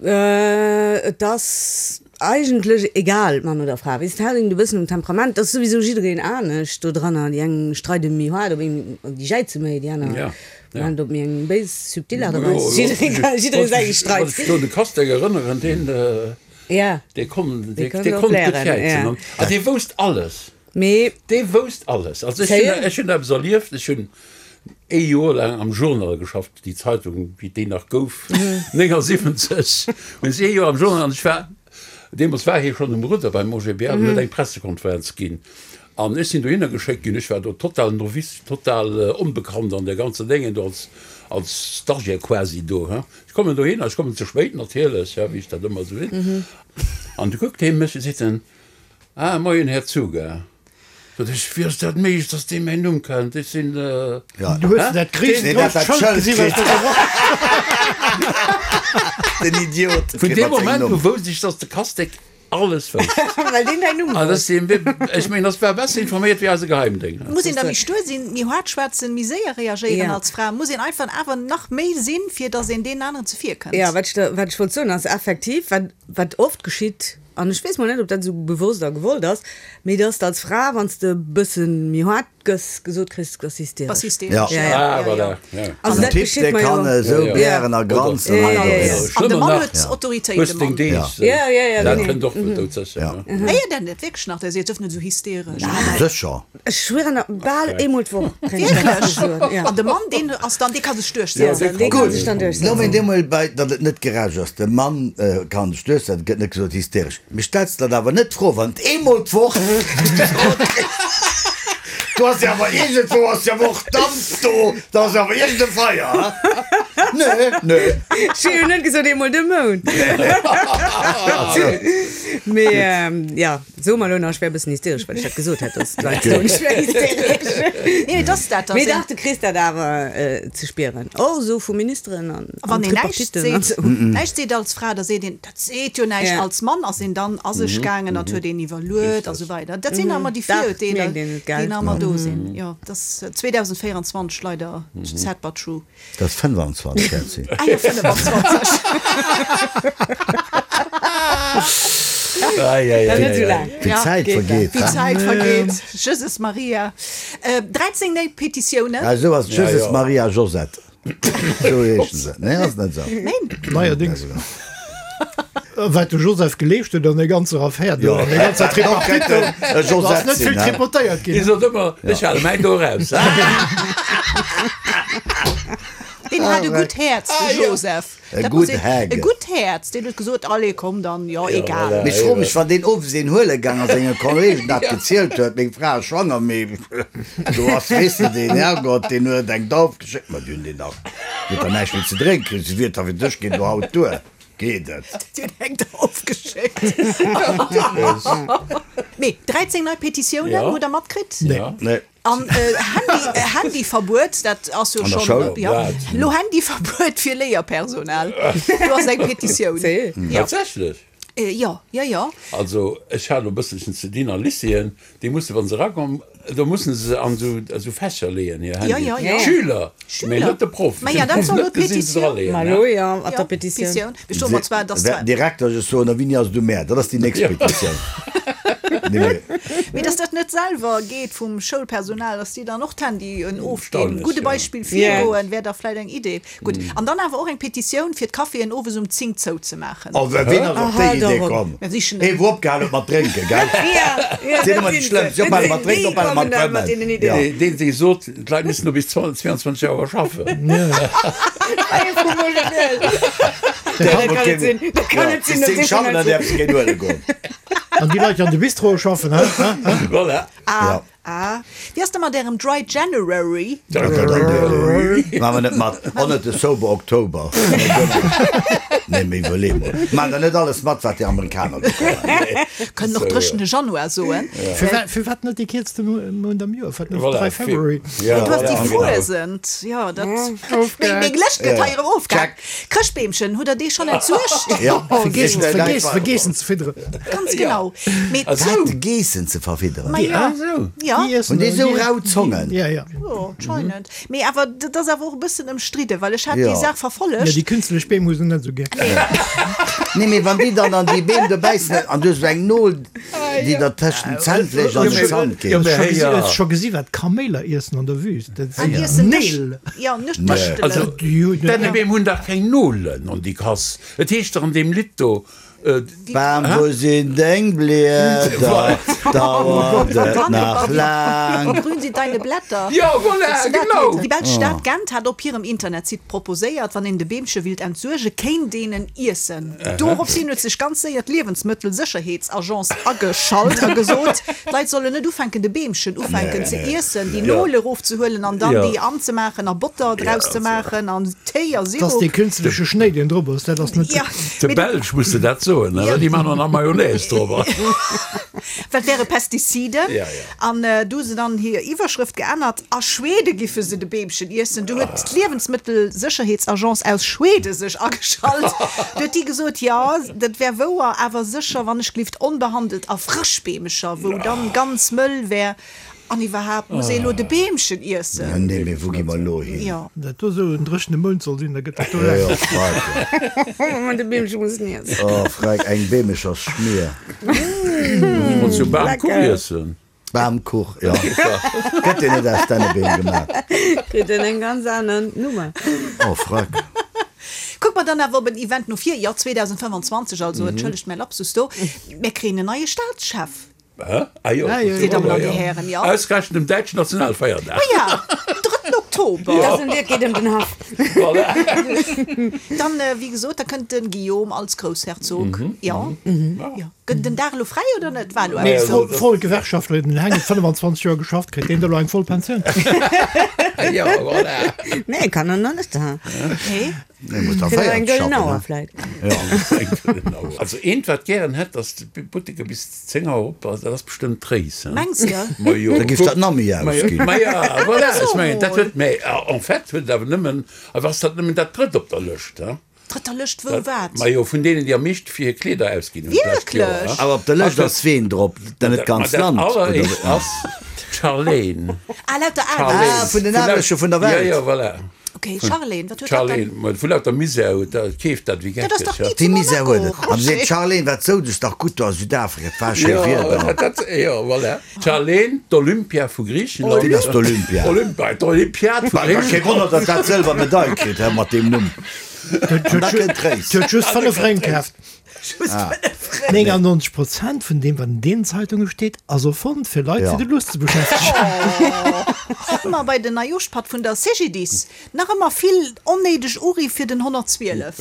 äh, et ass eigentlech egal, Mann oder Fra. Weess, et hänkt e bëssen um Temperament. Dat ass souwisou jiddereen anescht do dranner. Déi eng streide méi haart, op een, déi jäize méi, déi aner Ja, ja. maachen op méi eng béis, subtil Aart a Jo, Weis. jo, Jiddereen kann, jiddereen säi Streit. Wann ech do de Castex erënneren, deen, äh, Ja. dee konnt, dee, Dee konnt dee och konnt gutt léieren, jäizen. ja. An, ah, dee wousst alles. Mee Dee wousst alles. Also ech Zéie? hunn, ech hunn eppes erlieft, ech hunn ee Joer laang am Journal geschafft, déi Zeitung, wéi déi nach gouf, neunundsiebzig. Hunn ech ee Joer am Journal, an ech war, deemools war hie schonn um Rudder beim O G B L, an huet eng Pressekonferenz ginn. An ech sinn dohinner geschéckt ginn, ech war do total novice, total, äh, onbekannt an der ganzen Dinge, do als, als Stagiaire quasi do, hä. Ech kommen dohinner, ech kommen ze spéit natierlech, ja, wéi ech dat ëmmer sou sinn. An du kuckt hie mech a seet en, Ah, moien, Här Czuga. Sot ech, wéi ass dat méiglech, dass dee mäin Numm kennt? Ech sinn, äh, Ja. Du hues Hä? dat gréisst Nee, dat grousst dat Schëld Schëld gesinn, wat kritt. du gebraucht Den Idiot. Vun deem Moment u wousst ech, dass de Castex alles wousst. Well deen däin Numm Ah, wousst. das sinn, ech meng, das war besser informéiert wéi eise Geheimdénger. Muss een da méi stuer sinn, méi haart schwätzen, méi séier reagéieren Ja. als Fra? Muss een einfach awer nach méi sinn, fir dass een deen aneren zevir kënnt? Ja, wat ech da, wat ech wollt soen, ass effektiv, wat, wat oft geschitt, an ech weess mol net, ob dat esou bewosst a gewollt ass, mee dass de als Fra, wann s de e bëssen méi haart gëss, gesot kriss, ass hysteresch. Bass hysteresch. Ja. Ja, ja. Ah, voilà. Ja. Also Den dat Typ, geschitt dee mer kann jo. esou Ja, ja. blären a granzen. Ja, hei ja, ja. do. An de Schlimmer Mann nach. huet Autoritéit, Hues de deng Mann. Deeg. Ja, ja, ja, Dat genau. kënnt och doudsécher. Ja. ne? Héiert der net wierklech nach, der seet, dürft net esou hysteresch. Sécher. Ech schwören, bal eemol d'Woch kréien ech dat Wierklech? gesot, ja. An de Mann, deen ass dann, dee ka sech Ja, duerchsetzen. dee kann Gutt, sech dann lo mee duerchsetzen. deemol bei, datt et net gerecht ass, de Mann kann sech duerchsetzen, gëtt net gesot hysteresch. Mee stells der awer net d'Fro, wann et eemol d'Woch gesot kriss, du ass jo awer iergendwou ass jo awer och Damp do, da ass jo awer iergend e Feier, ha? Nee, nee. Ech hu jo net gesot eemol de Mount. Mee ja, so mer elo nach, ech wär e bëssen hysteresch, well ech dat gesot hätt, dass d'Leit soen, ech wär hysteresch. Nee, mee dass dat Mee ass dach, du kriss dat awer ze spieren. Och esou vu Ministeren an A wann een näischt Tripartitten an seet, esou. näischt seet als Fra, da seet een, dat seet jo näischt. Ja. Als Mann ass een dann a sech gaangen, dat huet een iwwerluet a sou weider. Dat sinn ëmmer déi Dach, Virurteeler, mierkt een et, gell? déi nach ëmmer do sinn. Jo, dat ass zweedausendvéierundzwanzeg leider sad but true. Dat ass fënnwandzwanzeg, Kerstin. Ah jo, fënnwandzwanzeg. Ai, ai, ai, Net esou ai, ai. laang. Wéi d'Zäit Geht vergeet, Wéi ha? d'Zäit vergeet. Jesus Maria. Dräizéng néi Petitiounen. Ah, esou ass Jesus Ja, ja. Maria Josette. Esou heeschen se. Nee, ass net esou. Neen. Neierdings. Wat de Joseph geleescht huet an der ganzer Affär do, Ja. an der ganzer Tripartite, E do ass Josette net vill sinn, ha? tripotéiert Dir ginn. sot ëmmer, ech hale mäin do raus. Deen hat e gutt Häerz, de Joseph. E Dat gutt muss een- Häge. E gutt Häerz. Deen huet gesot, allez, komm dann, jo, egal. voilà. Mee ech froe mech, wann deen owes een huele gaang ass, senge Kollegen dat gezielt huet, meng Fra ass schwanger, mee do ass, weess de, deen Herrgott, deen huet eng Dauf geschéckt, ma déi hunn deen dach, déi huet der näischt méi ze drénken kritt, se wier da fir dech ginn, do haut duer, geet et. Déi hunn eng Dauf geschéckt. Mee dräizéng nei Petitiounen Ja. hutt der matkritt? Nee. Ja. Nee. An äh, Handy, äh, Handyverbuet, dat ass jo An der schon Schoul? ja. Dat. Lo Handyverbuet fir Léierpersonal. Du ass eng Petitioun. Sérieux? Ja. Tatsächlech? Äh, ja, ja, ja. Also ech hat lo bësselchen ze dinn a Lycéeën, déi musse wann se erakommen, do mussen se an esou esou Fächer leeën hir Ja, Handy. ja, ja. Schüler, Schüler. mee net de Proff. Ma ja, Den dat Proff soll lo net gesinn, se d'Petitioun. draleeën, Ma ne? lo ja, mat Ja, der Petitioun. Petitioun. Ech soe mer zwar, dass Wer zwar Direkter ech soen, a wéini ass du Mä? Dat ass déi nächst Petitioun. Nee, mee. Mee dass dat net selwer geet vum Schoulpersonal, dass déi dann och d'Handyen ofginn. Erstaunlech, Gudde ja. Beispill Ja. virgoen, wär da vläit eng Idee. Gutt. An dann awer och eng Petitioun, fir d'Caféen owes um zéng zouzemaachen. Oh, wien ass op déi Aha, Idee doch. komm? Mir sichen Ee wou opgehal huet mat drénken, gell? Ja, ja, Sinn ëmmer déi dat sinn Schlëmmst. se. Si ophale mat drénken, Déi ophale mat kommen dann mat fëmmen. deenen Ideen. Ja. Deen, deen dee sot, d'Leit müssen no bis zweiundzwanzeg Auer schaffen. Ee vum Molenel. Der Dat kann net sinn. Dat kann net sinn, Bis dat zéng si schaffen, dann vun däerf se keen huele goen. An déi Leit, déi an de Bistro schaffen, hä? Hä? Hä? Voilà. Ah, Ja. ah. Wéi ass da mat ärem Dry January? Maache mer net mat. Och net de Sober October. Nee, mee iwwerlee mol. Maachen der net alles mat, wat déi Amerikaner do kommen. Kënnen och dréchene Januar soen. Firwat firwat net dee kierzte Mount am Joer? Firwat net Voilà, Dry February? Ja, Du hast voilà, déi genau. Fuesent. Ja, dat. Meng meng Lëscht gëtt hei erëm ofgehakt. Chrëschtbeemchen, hutt der dee schonn entsuergt? Ja, Vergeessen, vergeessen, vergeessen ze fidderen. Ganz genau. Mee, Ah, sou. Wat, Geessen ze verfidderen? ma ja. Ah, sou. Ja. Déi iessen Hunn déi sou déi- rau Zongen? Ja, ja. Jo, anscheinend. Mee awer dat ass awer och e bëssen ëmstridden, well ech hat Ja. déi Saach Ja, verfollegt. déi künstlech Beem hu se net sou gär. Nee, mee wann déi dann an déi Beem do bäissen an du hues esou eng Nol, déi der tëscht den Zännfleesch an den Zant Ja, geet. mee Ech hey, ja. hu scho gesi wat Kaméiler iessen an der Wüst. Dat An sinn iessen Neel. Nëscht- Ja, Nëscht- Nee. Nëschtelen. Also, Déi hunn- Dännebeem hunn dach keng Nolen an déi Kass. Et heescht dach an deem Lidd do, Bam, wo sinn deng Blieder? Dauert et nach laang? Grün sind deine Blätter. Ja, voilà, genau. Déi belsch Stad Gent hat op hirem Internetsite proposéiert, wann een de Beemche willt entsuerge, kéint een en iessen. Doropshin huet sech ganz séier d'Liewensmëttelsécherheetsagence ageschalt a gesot, d'Leit sollen net ufänken, de Beemchen ufänken ze iessen, déi Nol erofzehuelen an dann déi anzemaachen a Botter draus ze maachen an Téi a Dat ass Sirop. dee künstleche Schnéi, deen drop ass. Dat ass net Ja, De mee Belsch muss de dat soen, ne? Well déi man nach Mayonnaise drop. Wat wäre Pestizide? Ja, ja. An äh, du se dann hir Iwwerschrëft geännert, a Schwede giffe se de Beemchen iessen. Du huet d'Liewensmëttelsécherheetsagence aus Schwede sech ageschalt. Du huet déi gesot, ja, dat wär wouer, awer sécher, wann ech gelift onbehandelt a frësch Beemecher, wou dann ganz mëll wär. An iwwerhaapt muss ee lo de Beemchen iessen. Ja, nee, mee wou gi mer lo hin? Ja. Dat do sou en dréchene Mount soll sinn, da gëtt dat do Ja, lecker. ja, freilich. De Beemche muss en iessen. Oh, Freck, eng Beemecher Schmier. Wollt jo Bamkuch Lecker. iessen. Bamkuch, jo. Gëtt deen net aus Dännebeem gemaach? Kritt en eng ganz aner Nummer. Oh, freck. Kuck mer dann awer op en Event no vir, jo, zweedausendfënffanzwanzeg, also entschëllegt mäi Lapsus do, mir kréien en neie Staatschef. Hä? Ah jo, Ah jo, Dir Dammen an Dir Hären, jo. Ausgerechent um däitschen Nationalfeierdag. Ma ja, den drëtten Oktober. Dat ass et geet ëm den Haff. Voilà. Dann, wéi gesot, da kënnt de Guillaume als Groussherzog, jo. Jo. Gëtt den Dag elo fräi oder net? War elo Nee, eppes voll, do. voll Gewerkschaftler, den Heng huet fënnfanzwanzeg Joer geschafft, kritt deen da elo eng voll Pensioun? Jo, voilà. Nee, kann en nach net. Nee. Nee, muss da Kritt awer eng véiert gëllen schaffen, Auer ne? vläit. Ja. Eng gëllen Auer. Also eent, wat gären hätt, dass d'Butteker bis zéng Auer op ass, dat ass bestëmmt d'Réis, hein? Mengs de? Ma jo. Da giff dat nach méi ausginn. Ma ja, voilà, ech mengen, dat huet, mä en fait huet et awer nëmmen, awer ass dat nëmmen dat drëtt op der Lëscht, hein? Drëtter Lëscht wou wat? Ma jo, vun deenen, déi am meeschte fir hir Kleeder ausginn hunn d'lescht Joer, Wierklech? hein? Awer op der Lëscht ass ween drop? Dann net Ma d'ganzt dat Land, oder? alleréischt ass d'Charlene. Ah, lauter Charlene. Aarbecht. Ah, vun den Aarbechte vun der Welt. Ja, ja, voilà. Ok, Charlene, wat huet dat Charlene, dann? ma vu lauter Misär huet dat, keeft dat wéi Dat ass geckeg, dach ja. ni Déi zu Misär huet et. Monaco, An seet Roger. d'Charlene, wat souz ech dach gutt do a Südafrika, et war schéi Jo, Wieder. dat, jo, voilà. D'Charlene, d'Olympia vu Griichenland. Wien ass d'Olympia? Olympia, d'Olympiad vu Kee Griichenland. Wonner, datt dat sëlwer Medail kritt, he, mat deem Numm. An da kënnt d'Réis. Huet just fënnef Réng kaaft. Just fënnef Réng. néngannonzeg Prozent vun deem, wat an deenen Zeitunge steet, ass erfonnt, fir Leit Ja. fir de Lust ze beschäftegen. Ëmmer bei den Neijooschpatt vun der C G D I S. Nach ëmmer vill onnéideg Uriff fir den honnertzwielef.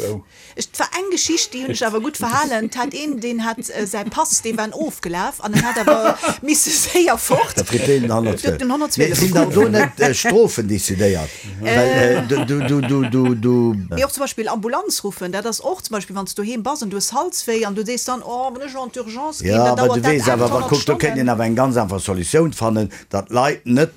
Ech, 't war eng Geschicht, déi hunn ech awer gutt verhalen. 't hat een, deen hat säi Pass, dee war ofgelaf an en hat awer misse séier fort. Da kritt deen den honnertzwielef. Den honnertzwielef. Mee sinn dann do net Strofen decidéiert? Well du, du, du, du, du. Mee och zum Beispill Ambulanz ruffen, dat ass och zum Beispill, wann s du doheem bass an du hues Halswéi an du sees dann, oh, wann ech elo an d'Urgence ginn, Ja, dann awer dauert du dat weess awer, wa achthonnert kuck, do kéint een Stonnen. awer eng ganz einfach Solutioun fannen, datt d'Leit net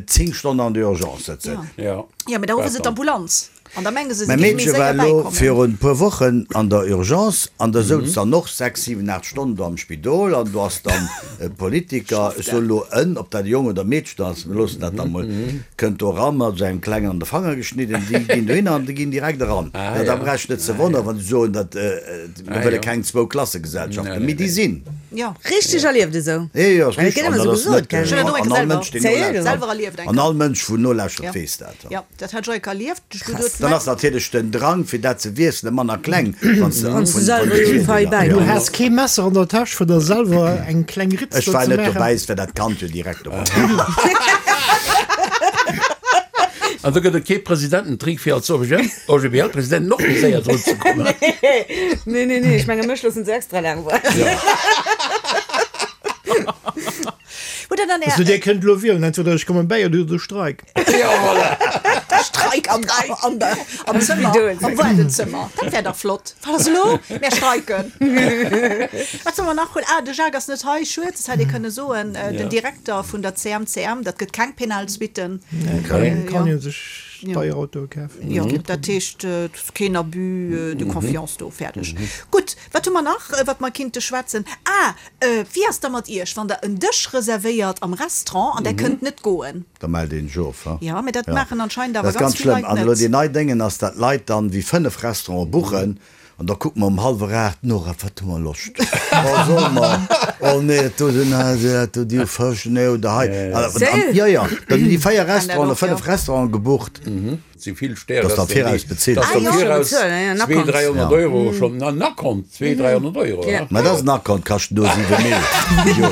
zéng Stonnen an der Urgence sëtzen. Ja. Ja, mee da ruffe se d'Ambulanz an da menge se, se Mäi géife méi Meedche war séier elo bäikommen. virun e puer Wochen an der Urgence an da souz dann och sechs, siwen, aacht Stonnen do am Spidol an do ass dann e Politiker, ech soen elo en, ob dat e Jong oder e Meedchen ass, mir loossen dat da mol, kënnt do eran mat esou engem Klengen an de Fanger geschnidden, déi ginn dohinner an déi ginn direkt eran. Ah, Ja, da ja. brauch ech net ze wonneren, wann se soen, dat mir Ah, wëlle jo. keng Zwou-Klasse-Gesellschaften, Nee, mee nee, déi nee. sinn. Ja. Richteg erlieft esou. Jo, jo, ass Well et richteg. gëtt ëmmer An esou dat ass gesot, net, gell? Ech hunn dat och an eng all selwer, Mënsch, deen Zéier, nolauschtert, selwer erlieft eng an Kéier. all Mënsch, wou nolauschtert, Ja. weess dat. Ja, dat hat ech och eng Kéier erlieft. Ech Krass. geduet, Dann ass natierlech den Drang, fir dat ze wiesselen, manner kleng, wann s de Wann s du vun selwer vun jo fei bäi Du bass. has kee Messer an der Täsch, fir der selwer eng kleng Ritz Ech do war ze net maachen? dobäi, es wär dat Kand jo direkt dobäi. An do gëtt et kee Presidententrick, fir als O G B L-President noch méi séier drun ze kommen. Nee, nee, nee, ech menge mech loossen se extra laang waarden. Hutt der dann Also Är Dir kënnt elo wielen, entweder ech kommen bäi oder de Streik. Ja, voilà. Streik am, am, am Zëmmer, Spidol. am Waardezëmmer. Dat wär dach flott. Wat ass elo? Mär streiken. Wat solle mer nach hunn? Ah, de Jacques ass net hei, schued, dat hätt ee kënne soen. Den Direkter vun der C M C M, dat gëtt keng penal Suitten. Kann Ja. een sech deier Autoe kafen. Jo, dat heescht, et ass keen Abus de confiance do. Fäerdeg. Gutt, wat hu mer nach, wat mer kinnte schwätzen? Ah, wéi ass da mat Iech, wann Der en Dësch reservéiert am Restaurant an Der kënnt net goen? Da mellt een sech of, ha? Ja, mee dat maachen anscheinend Dat awer ass ganz ganz vill schlëmm. Leit An elo net. déi nei Déngen ass, dat d'Leit dann wéi fënnef Restauranten buchen an da kucke mer um hallwer aacht, Nora, wat hu mer Loscht? Oh, solle mer? Oh nee, dat do, den, dat do, déi hu Fësch, nee, oder hei. An, an, ja, ja, dann hunn déi véier Restauranten oder fënnef Restauranten gebucht. Si vill Stäre Dass der viraus bezilt. Dass Ah, der jo. viraus Bezuelen, ja, en zwee, Akkont. dräihonnert Ja. Euro schonn, en Akkont, zwee, dräihonnert Euro, Ja. ja. Mä dat ass en Akkont, kascht do siwe Mille. Jo.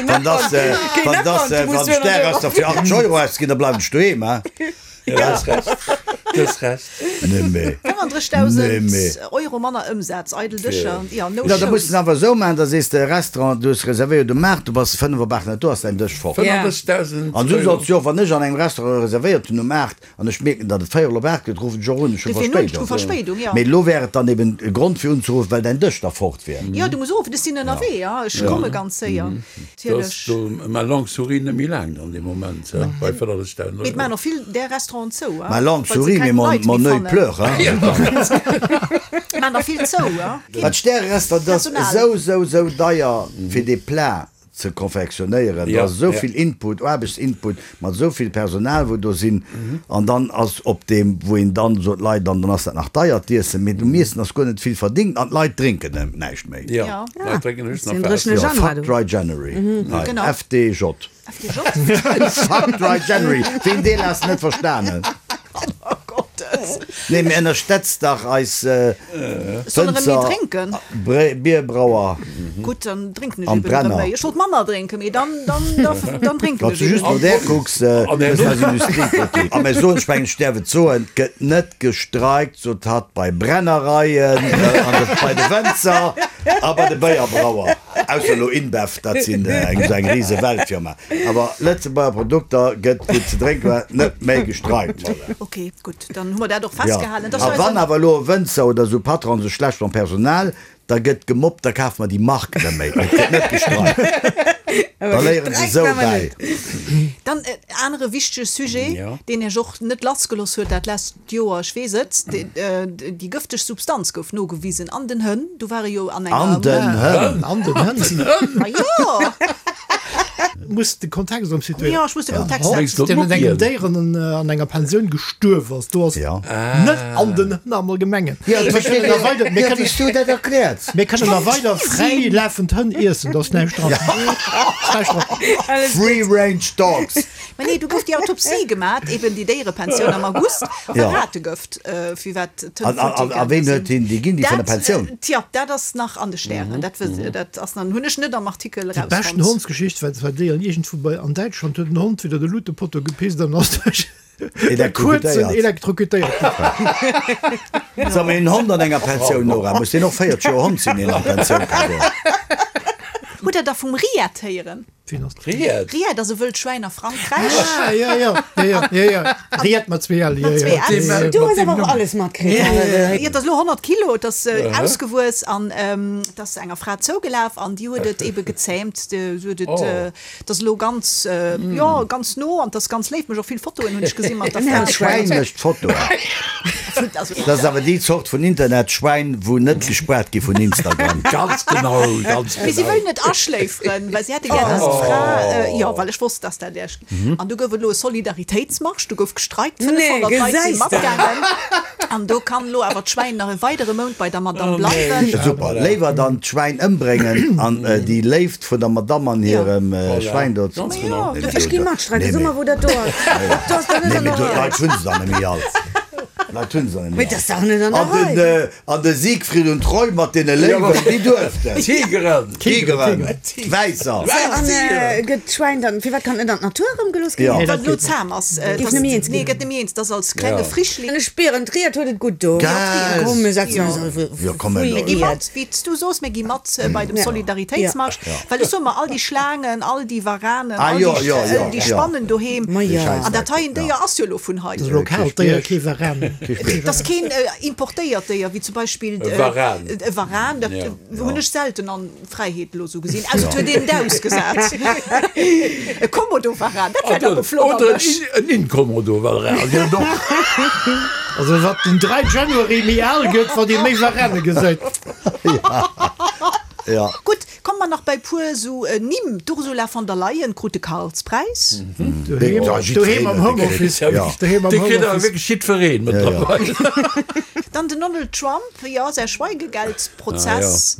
Wann das, äh, wann das, äh, wann Stär fir achtzeg Euro ausginn, da bleiwen ech doheem, hein? Ja, du hues Recht. Du hues Recht. Nee, mee. fënnfandrëssigdausend Nee, mee. Euro manner Ëmsaz, eidel Dëscher, ja, no Ja, da muss shows. de awer esou maachen, da sees de, Restaurant, du hues reservéiert um aacht, du bass fënnef op aacht net do, ass däin Dësch fort. fënnfandrëssigdausend An esou Euro. solls du och, wann ech an engem Restaurant reservéiert hunn um aacht an ech mierken, datt et véierel op aacht gëtt, ruffen ech och un, ech hu Dofir nun, ech hu Verspéidung. Verspéidung, ja. Mee elo wär et dann eben e Grond fir unzeruffen, well däin Dësch da fort wär. Jo, du muss uruffen, ech sinn ënnerwee, ja, ech komme ganz séier. Du ass Natierlech. do ma langue souris net méi laang dann dee Moment, ja, bei fënnfandrëssigdausend Mee et Euro. maachen och vill där Restauranten zou, Ma langue well se souris, mee keng mon, Leit méi mon oeil fannen. pleure, hein. Maachen der vill zou, ja. Wat Stärerestaurant, dat ass Personal. esou, esou, esou deier fir dee Plat. ze konfektionéieren. Do Ja, ass esou ja. vill Input, Aarbechtsinput, mat esou vill Personal, wou do sinn. An dann ass op deem, wou een dann sot, Leit, an dann ass dat nach deier d'Iessen, mee um Iessen ass guer net vill verdingt an d'Leit drénken näischt méi. Ja, Ja. d'Leit drénken höchstens Den nach Waasser. dréchene Jo, Januar, Fuck du. Dry January. Hei, Genau. F D J. F D J? Fuck Dry January. Ween deen ass net verstanen? Oh Gottes. Nee, mee ënnerstetzt dach eis Soll erëm méi Wënzer, drénken? Bre- Bierbrauer. Gutt, dann drénken ech An eben erëm Brenner. méi. Ech wollt manner drénken, mee dann, dann, da, dann drénken Wann ech du just eben. no där kucks, äh, An wëssen herno- eis Industriepolitik. A mir soen, ech mengen, ech däerf et soen, et gëtt net gestreikt, sot hatt, bei Brennereien, äh, an de, bei de Wënzer a bei de Béierbrauer. Ausser elo InBev, dat sinn äh, eng, esou eng rise Weltfirma. Awer Lëtzebuerger Produkter gëtt, wou ze drénken war, net méi gestreikt. Ok, gutt, dann hu mer dat och Ja. festgehalen. Dat A ass wann eisen- awer elo e Wënzer oder esou Patron sech schlecht mam Personal, da gëtt gemobbt, da kafe mer déi Mark net méi. Et gëtt net gestreikt. Da léieren se esou bäi. Dann en anere wichtege Sujet, Ja. deen Iech och net lassgelooss huet dat lescht Joer, ech weess et, déi, äh, déi gëfteg Substanz gouf nogewisen an den Hënn. Du ware jo an enger. An den Hënn. An den Hënn. Ma jo! Muss de Kontext erëm situéieren. Jo, ech muss de Kontext Hond, Mengs du deen an engem d'Muppien? Déieren an, äh, an enger Pensioun gestuerf ass, do ass Ja. net an den Hënn am Allgemengen. Ja, Mir kënnen da weider, mir Ja, kënnen, wéi s du dat erkläert. mir kënnen da weider fräi lafend Hënn iessen, do ass näischt dran. Ass näischt dran. Free range dogs. Ma nee, du gouf déi Autopsie gemat, eben déi Déierepensioun am August, a Ja. Rategëft, äh, fir wat d'Hënn An, an, an, a ween huet hien déi ginn, déi vun der Dat, Pensioun? äh, tja, dat ass nach an de Stären. Dat, wës- dat ass dann, hunn ech net am Artikel Déi beschten erausfonnt. Hondsgeschicht war zwar déi an iergendwou bei an Däitschland huet en Hond widder de Lutepotto gepisst an ass duerch e kuerzen Elektrokutéiert. elektrokutéiert ginn. Sag mal, en Hond an enger Pensioun, Nora, muss deen och véierzeg Joer Hond sinn, deen an d'Pensioun ka goen? Hutt der da vum Riet héieren? Wien ass dat? Riet? Riet ass e wëllt Schwäin a Frankräich. Ah, ja, ja, ja, ja, ja, ja. Riet mat zwee L, ja, Mat zwee ja. L. Ja, ja. Du hues awer och alles matkritt. Jo, et ass elo honnert Kilo, et ass ausgewuess an et ass enger Fra zougelaf an déi huet et ebe gezähmt. Se huet et, et ass elo ganz, jo, ganz no an et ass ganz léif. Mech och vill Fotoen hunn ech gesi mat der Fra. Dat Schwäin mécht Fotoen. Also, Dat ass awer déi Zort vun Internetschwäin, wou net gespaart gi vun Instagram. Ganz genau, ganz Mee si genau. wëllen et aschléiferen, well si hätte gär, dass d'Fra, jo, well ech wosst, dass dat Iech. An du gouf et elo e Solidaritéitsmarsch, du gouf gestreikt, Nee, fënnefhonnert Leit si gesäis de. matgaangen. An do kann elo awer d'Schwäin nach e weidere Mount bei der Madame bleiwen. Super, léiwer dann d'Schwäin ëmbréngen an déi Léift vun der Madame an hirem Schwäin do. Ganz genau. Nee, mee Ech gi do- matstreiken, nee, so mee- mer wou dat do ass. Do ass dat net Nee, an mee der do, Rei. Leit hunn se dann net méi all. Leit hunn se dann net méi Mee dat ass dach net an der all. An den, Rei. äh, an de Siegfried und Roy mat deene Léiwen, déi duerften. Tigeren! Tigeren, Wäisser. An äh, gëtt d'Schwäin dann, firwat kann net an d'Natur erëmgelooss ginn? Ja. Nee, Wat dat elo geet net. zahm ass, äh, Géif dass- net méi eens nee, ginn. gëtt net méi eens, dass als klenge Ja. Frischling. An ech spieren, d'Riet huet et gutt do. Gell. Komm, mir setzen Ja. eis auf Ja, komm, Free Mir gi Riet. mat, wéi s du soos, mir gi mat äh, bei dem Ja. Solidaritéitsmarsch, well ech soe mer, all déi Schlaangen, all déi Waranen, Ah, all jo, déi, jo, äh, jo, déi jo. Spannen doheem. Ma ja. An dat hei en Déier ass jo elo vun hei. Dat ass lokal Déier, kee Varan. Et ass keen äh, importéiert Déier, wéi zum Beispill E Varan. e Varan, dat Ja. hunn ech selten an Fräiheet elo sou gesinn, ausser et huet een et ausgesat. E Komodo-Varan, dat wär dach e flott Oder Erwësch. en Inkomodo-Varan, jo doch. Also wat den dräi January méi al gëtt, wat ee méi Varane gesäit. Ja. Gutt, komme mer nach bei puer sou Nimm, D'Ursula von der Leyen krut de Karlspräis. Doheem, Ja, doheem am jiddwereen huet Homeoffice. e kritt. Doheem am Dee kritt awer Homeoffice. wierklech jiddwereen mëttlerweil. Dann den Donald Trump, jo, säi Schweigegeldprozess,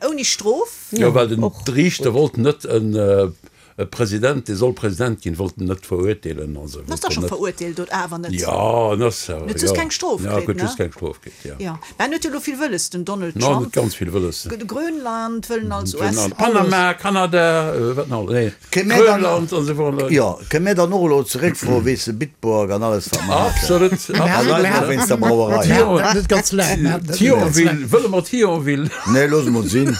ouni Strof. Jo, well den Riichter wollt net en e President, dee soll President ginn, wollt en net verurteelen. Also En ass dach wollt scho en net. verurteelt, oder awer net? Ja, en ass awer, Huet just ja. keng Strof Ja, kritt, huet ne? just keng Strof kritt, ja. Ja, mä en huet jo elo vill wëlles, den Donald No, en Trump. huet ganz vill wëlles. Grönland wëllen als U S. Grönland, Panama, Kanada, wat nach? Nee, Kënne mir dann- Grönland an esou weider. Jo, kënne mir dann och elo zeréckfroen, weess de, Bitburg an alles, wat mer haten? Absolut, A absolut. Leit nach wéinst der Brauerei. Mir haten dat net ganz laang. Mir haten dat net ganz laang. Thionville, wëlle mer Thionville? Nee, loosse mer sinn.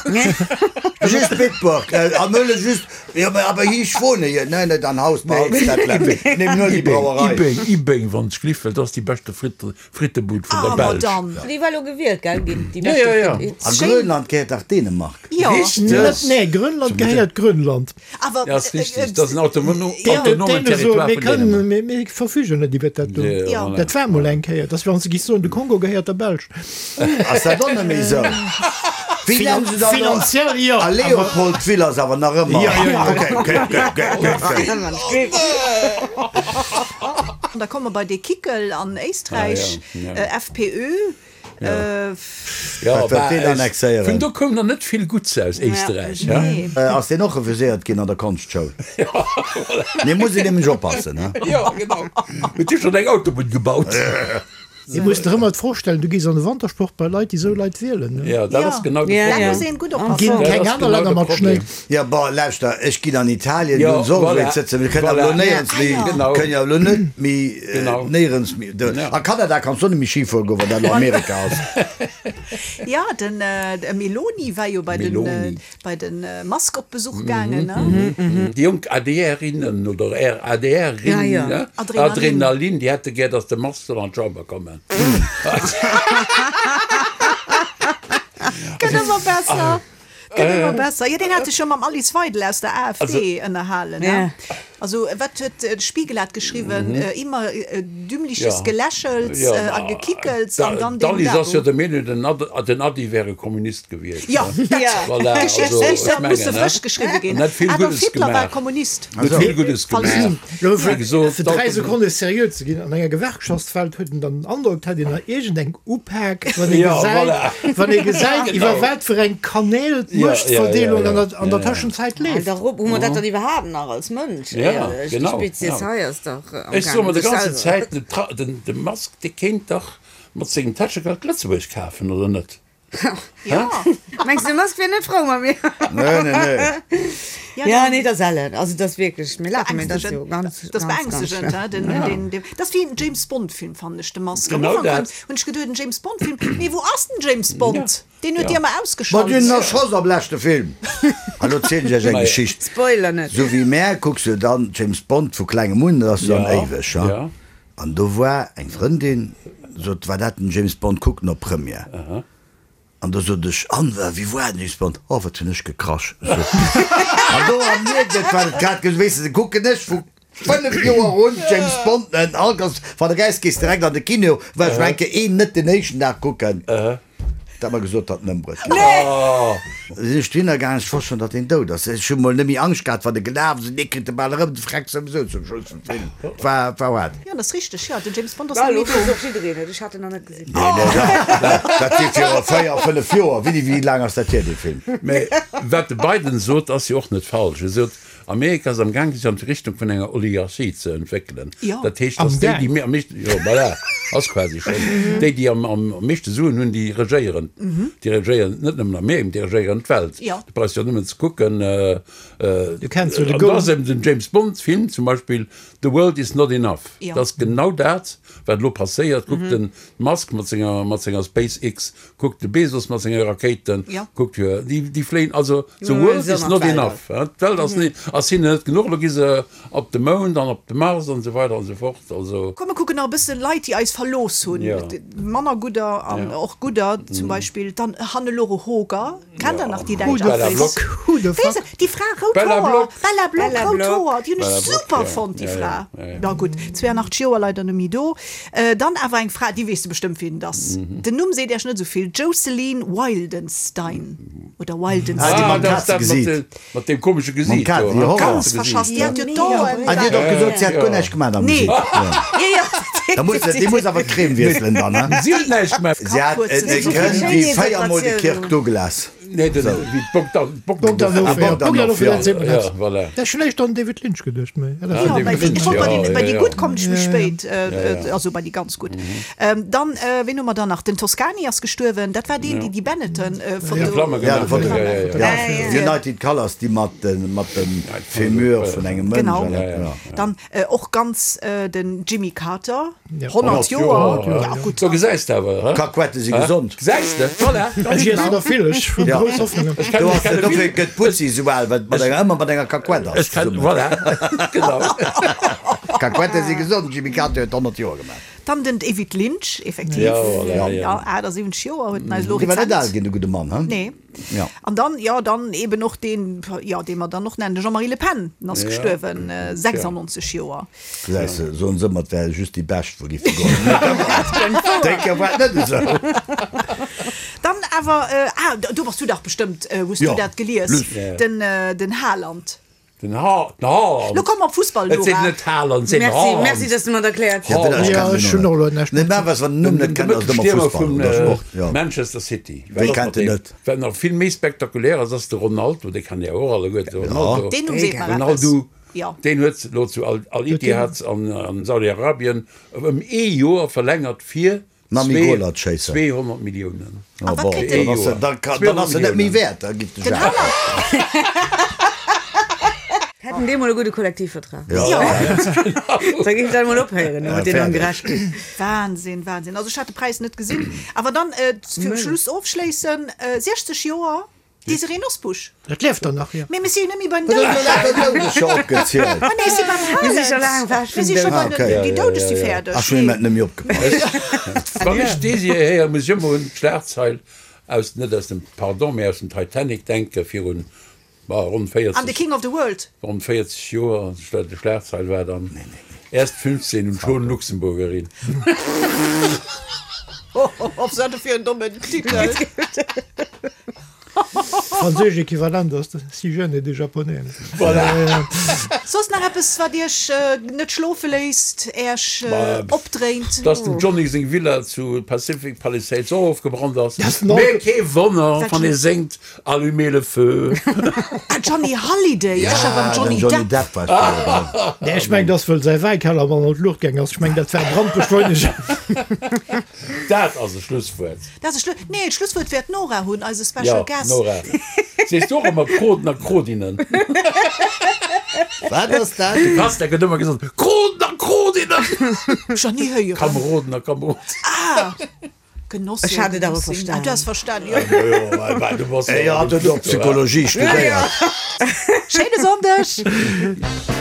Just Bitburg, am Mölle just, ja, aber, aber hier ich wohne hier. Nein, nein, dann Haus behalt dat Läppchen. Nimm nur die Brauerei. Ibeng, Ibeng, wann es gliff, well dat ass déi beschte Fritte, Frittebud vun Ah, der Belsch. Madame. Déi war lo gewielt, gell, ginn, déi Ja, beschte ja, ja. Fritte. A Grönland gehéiert dach Dänemark. Ja. Richtig. Net, nee, Grönland gehéiert Grönland. Awer, Ja, ass äh, richtig. äh, Dat ass en autonomen Dänen soen, Territoire mir vun kënnen, Dänemark. mir, mir verfügen net iwwer dat do. Ja, Ja. voilà. Dat war mol eng Kéier, dass wir ons gi soen, de Kongo gehéiert der Belsch. Ass dat och net méi esou? Wéi nennen se dann elo? Finanziell jo. A Léopoldville ass awer nach ëmmer. Jo, jo, jo. Okay, okay, okay, okay, okay, okay. An da komme mer bei dee Kickl an Éisträich, FPÖ. Jo, Wat wëllt deen annexéieren? Vun do koum nach net vill Gutts aus Éisträich. Nee. Ass deen och refuséiert ginn an der Konschtschoul? Nee, muss een nämlech oppassen, he? Jo, genau. Huet hie schonn eng Autobunn gebaut? Dir musst der ëmmer d'Fro stellen, du gees an de Wantersport bei Leit, déi esou Leit wielen. Jo, dat ass genau de Ja, Problem. Da muss een gutt oppassen. Ginn Dat keng ass aner genau Länner de mat Schnéi. Problem. Jo, bon, lauschter, ech ginn an Italien, Jo, do hunn se och voilà, esou sëtzen. Mir kënnen awer voilà. elo néierens méi, Genau. kënnen jo elo net méi, Genau. néierens méi. Do, a Kanada kanns du och net méi Ski fuere goen, wann dat elo Amerika ass. Ja, den Meloni war jo bei den, Meloni. bei den Musk op Besuch gaangen, ne? Déi jonk ADR-innen oder ADR-Rinnen, Ja, ja. ne? Adrenalin. Adrenalin, déi hätte gär, datt de Musk soll an d'Chamber kommen. Gëtt ëmmer besser. Gëtt ëmmer besser. Jo, deen hat sech jo mam Alice Weidel aus der AfD ënnerhalen, ne? Ja. Also, wat huet de Spiegel hat geschriwwen, immer dümmliches Ja. Gelächels Ja, a Gekickels an dann deen D'Alice ass jo Dabo. der Meenung, den Ad, den Adi wär e Kommunist gewiescht, Ja, ne? dat Ja. Voilà, also, Geschichtsbicher ech mengen, musse ne? frësch geschriwwe ginn. En huet vill Adolf Guddes Hitler war gemaach. Kommunist. Huet vill Guddes Falls gemaach. Lo, Wéi fir, gesot, fir dräi d'Auto- Sekonne seriö ze ginn, an enger Gewerkschaftswelt huet en dann den Androck, d'hätt een nach iergendeng Upak, wann ee Ja, gesäit, voilà. wann ee gesäit, Genau. iwwer wat fir eng Kanäl Ja, ja, ja, d'Muechtverdeelung ja. an der, an der Ja, ja. Tëschenzäit An leeft. der Rupp, hu mer dat dann iwwerhaapt nach als Mënsch? Ja, Éierlech, déi genau, Spezies ja. hei ass dach am Ech soe mer gaangen, de sech ganze selwer. Zäit, den Tra-, den, de Musk, dee kéint dach mat sengem Täschegeld Lëtzebuerg kafen, oder net? Ja. Mengs du, de Musk wier net frou mat mir? Nee, nee, nee. Ja, Ja, den- nee, dat ass ellen. Also, dat ass wierklech, mir lachen, mee dat ass jo ganz, Das ganz, ganz beängstegend, schlimm. hä? Den, den, den, das ass wéi en James Bond Film, fannen ech, de Musk. Am Genau Ufank dat. hunn hunn ech geduet, en James Bond Film. Mee wou ass den James Bond? Ja. Deen huet Ja. Dir ëmmer Ma ausgeschalt. deen erschoss am leschte Film. A lo zielen ech iech eng Geschicht. Spoiler net. Sou wéi mär kucks du dann James Bond vu klengem un, dat ass dann Ja, éiweg, ha? ja. An do war eng Frëndin, sot, war dat den James Bond kucken op Première. An da sot ech, an wa, wéi war den James Bond? Oh, wat hunn ech gekrasch. An do am mierkt et, wat et grad ge-, weess de, kucken ech vu fënnef Joer un James Bond, en all ganz, wann de geist gees direkt an de Kino, well ech menke een net den éischten Dag kucken. Dat mer gesot, datt en ëmbruet ginn ass. Sinn ech dohinner gaangen, ech wosst schonn, datt deen dout ass. Ech hu mol net méi Angscht gehat, wann e gelaf ass, dee kritt de bal erëm, de Freck souwisou zum Schluss vum Film. Et war, et war haart. Ja, dat ass richteg, ja, den James Bond ass Well, net méi elo do. weess och jiddereen et, ech hat en nach net gesinn. Nee, nee, dat, dat, dat si viru véier, fënnef Joer. Wéi, wéi laang ass dat hier, dee Film? Mä wat de Biden sot, ass jo och net falsch. E sot, Amerika ass am Gaang, sech an d'Richtung vun enger Oligarchie ze entwéckelen. Ja. Dat heescht, Am dass déi, Gaang. déi méi am meeschten, jo, voilà, ass quasi schonn, déi, déi am, am meeschte Suen hunn, déi regéieren. Déi regéieren net nëmmen Amerika, déi regéieren d'Welt. Ja. Du brauchst jo nëmmen ze kucken, äh, äh, Du kenns jo de an Goal. da ass eben den James Bond Film zum Beispill, The World is not enough. Ja. Dat ass genau dat, wat elo passéiert. Kuck den Musk mat senger, mat senger SpaceX, kuck de Bezos mat senge Rakéiten, Ja. kuck jo, déi, déi fléien, also the Ja, world se is mat not Welt. enough. Ja, d'Welt ass net, ass hinnen net genuch, elo gi se op de Mound an op de Mars an esou weider an esou fort. Also, Komm, mir kucken nach e bësse Leit, déi eis verlooss hunn. Ja. Manner gudder an Ja. och gudder, zum Beispill dann Hannelore Hoger. Kennt der nach déi Who däitsch the Bella Actrice? Block. Who the Weess fuck? de, déi Fra, rout Bella Hoer. Block. Bella Block, Bella rout Block. Hoer. Déi hunn ech Bella Block, super ja. fonnt, déi Ja, ja. Fra. Ja, ja. Na gutt, zweiundachtzeg Joer leider net méi do. Äh, dann awer eng Fra, déi weess de bestëmmt, wien et ass. Den Numm seet Iech net esou vill. Jocelyn Wildenstein. Oder Ah, déi Wildenstein. mam Ah, dat ass dat mat Kazegesiit. de, mat deem komesche Gesiit Mam do, Kaze, ne? déi Horror. Ganz verschass. Déi hat jo d'Oen. Ah, déi huet och gesot, si hätt guer näischt gemaach am Nee. Gesiit. Ja. Ja, ja. Da muss, déi muss awer d'Crème wiesselen dann, ne? Si huet näischt gemaach. Si hat e Kënn wéi véiermol de Kirk Douglas. Nee, den, wéi Bogdan, Bogdanov, Ah, ja. Bogdanov, Bogdanov, ja. dat seet mer Ja, net. voilà. Dat ech vläicht an David Lynch geduecht, mee ja, dat Ah, Ja, David bei déi, Lynch, ech wollt bei ja, déi, bei ja, déi ja. gutt kommen ech méi Ja, ja. spéit, äh, Ja, ja. äh, also bei déi ganz gutt. Ähm, dann, äh, wien hu mer dann nach? Den Toscani ass gestuerwen, dat war deen, déi déi Benetton, äh, Foto. Flamme Ja, de gemaach Foto. huet, ja, ja, ja. Ja, Ja, ja. United Colors, déi mat den, mat dem Femur vun engem Mënsch. Genau. Ja, ja. Dann äh, och ganz äh, den Jimmy Carter, Ja. honnert Joer. Joer, Ja, gutt. So gesäis de awer, hä? Kakuette si gesond. Gesäis de? Voilà. Ech iessen der vill, ech hunn Ja. grouss Hoffnungen. Ech kenn, Do ech ass kenne dofir vill. gëtt Putzi esou al, well mat enger ëmmer mat enger Kakuett ass. Ech kenn, zesummen. voilà. Genau. Kakuette si gesond, Jimmy Carter huet honnert Joer gemaach. Dann den David Lynch, effektiv. Ja, voilà, ja. ja. Ja, achtundsiebzig Joer huet en eis elo Dee war net rezent. al ginn, de gudde Mann, he? Nee. Ja. An dann, ja, dann eben och deen, ja, dee mer dann noch nennen, de Jean-Marie Le Pen, den ass Ja. gestuerwen, äh, sechsundneunzig Joer. Gesäis de, soen se ëmmer, et wär just déi Bescht, wou géife goen. Déi Kéier war et net esou. Dann awer, ah, do bass du dach bestëmmt, hues du dat gelies, den, den Haaland. Den Ha, den Haaland. Lo komm op Fussball, Et seet Nora. net Haaland, et seet Merci, Haaland. merci, dass du mer dat erkläert. Ja, ech Ja, kennen ech den hunn och och elo net. näischt Nee, mä was, wann den Numm net De kennt, ass et ëmmer Mëttelstiermer Fussball vun oder Sport, jo. Manchester City. Wéi kennt en net? Wat nach vill méi spektakulär ass, ass de Ronaldo, dee kennt Dir och alleguer, de Ronaldo. Deen Numm seet mer eppes. Ronaldo, Jo. deen huet elo zu Al, Al-Ittihad an, an Saudi-Arabien ëm ee Joer verlängert fir Nami zwee- Goalerchaser. zweehonnert Milliounen. Oh, wat bon, kritt dann den- ass en, dann kann, dann ass en net méi wäert, da gitt de Den Jacques. Haaland. Hätten déi mol e gudde Kollektivvertrag. Ja. Da géif dat mol ophéieren, Ja, mat deenen fäerdeg. Ongerechtegkeeten. Wahnsinn, Wahnsinn. Also ech hat de Präis net gesinn. Awer dann äh, fir Schluss ofschléissen, äh, sechzeg Joer Désirée Nosbusch. Dat lieft dann nach, jo. Mee mir si jo net méi beim Dat Doudegen. huet Doudeg scho opgezielt. Ah, nee, si beim Mir si scho Haaland. laang ewech Mir vum si scho Doud. bei Ah, den, okay. déi Doudeg si fäerdeg. Ach, schon net méi opgepasst. Wann ech Désirée héier, muss ech ëmmer un d'Schlagzeil aus, net aus dem, pardon, mee aus dem Titanic denken, virun, bah, ronn An The véierzeg, King of the World. ronn véierzeg Joer, de Schlagzeil war dann, erst fünfzehn und schon Luxemburgerin. Op wat fir en dommen Titel. Franséisch Equivalent ass de si jeune et déjà japonais. Voilà. Soss nach eppes, wat Iech net schlofe léisst, Iech opdréint? Dass dem Johnny seng Villa zu Pacific Palisades och ofgebrannt ass. Das noch- Mee kee Wonner, wann ee séngt Allumez le feu. Ah, Johnny Hallyday, ech war beim Johnny Den Johnny Depp. Depp war früher dran. Nee, ech meng, dass wëll säi Wäikeller mann an d'Luucht gaang ass. Ech meng, dat war Brandbeschleuniger. Dat ass e Schlusswuert. Dat ass e Schlu-, nee, d'Schlusswuert wäert d'Nora hunn, eise Special Ja, Guest. Nora. Sees du och ëmmer Kroden a Krodinnen? Wat ass dat? De Kastler huet ëmmer gesot, Kroden a Krodinnen! Ech nach ni héieren. Kameroden a Kamerodinnen. Ah, Genosse. Ech hat et awer Genossin. verstanen. Ah, du has verstanen, jo. Jo, well du bass Ey, hat et och Psychologie studéiert. Schéine Sonndeg!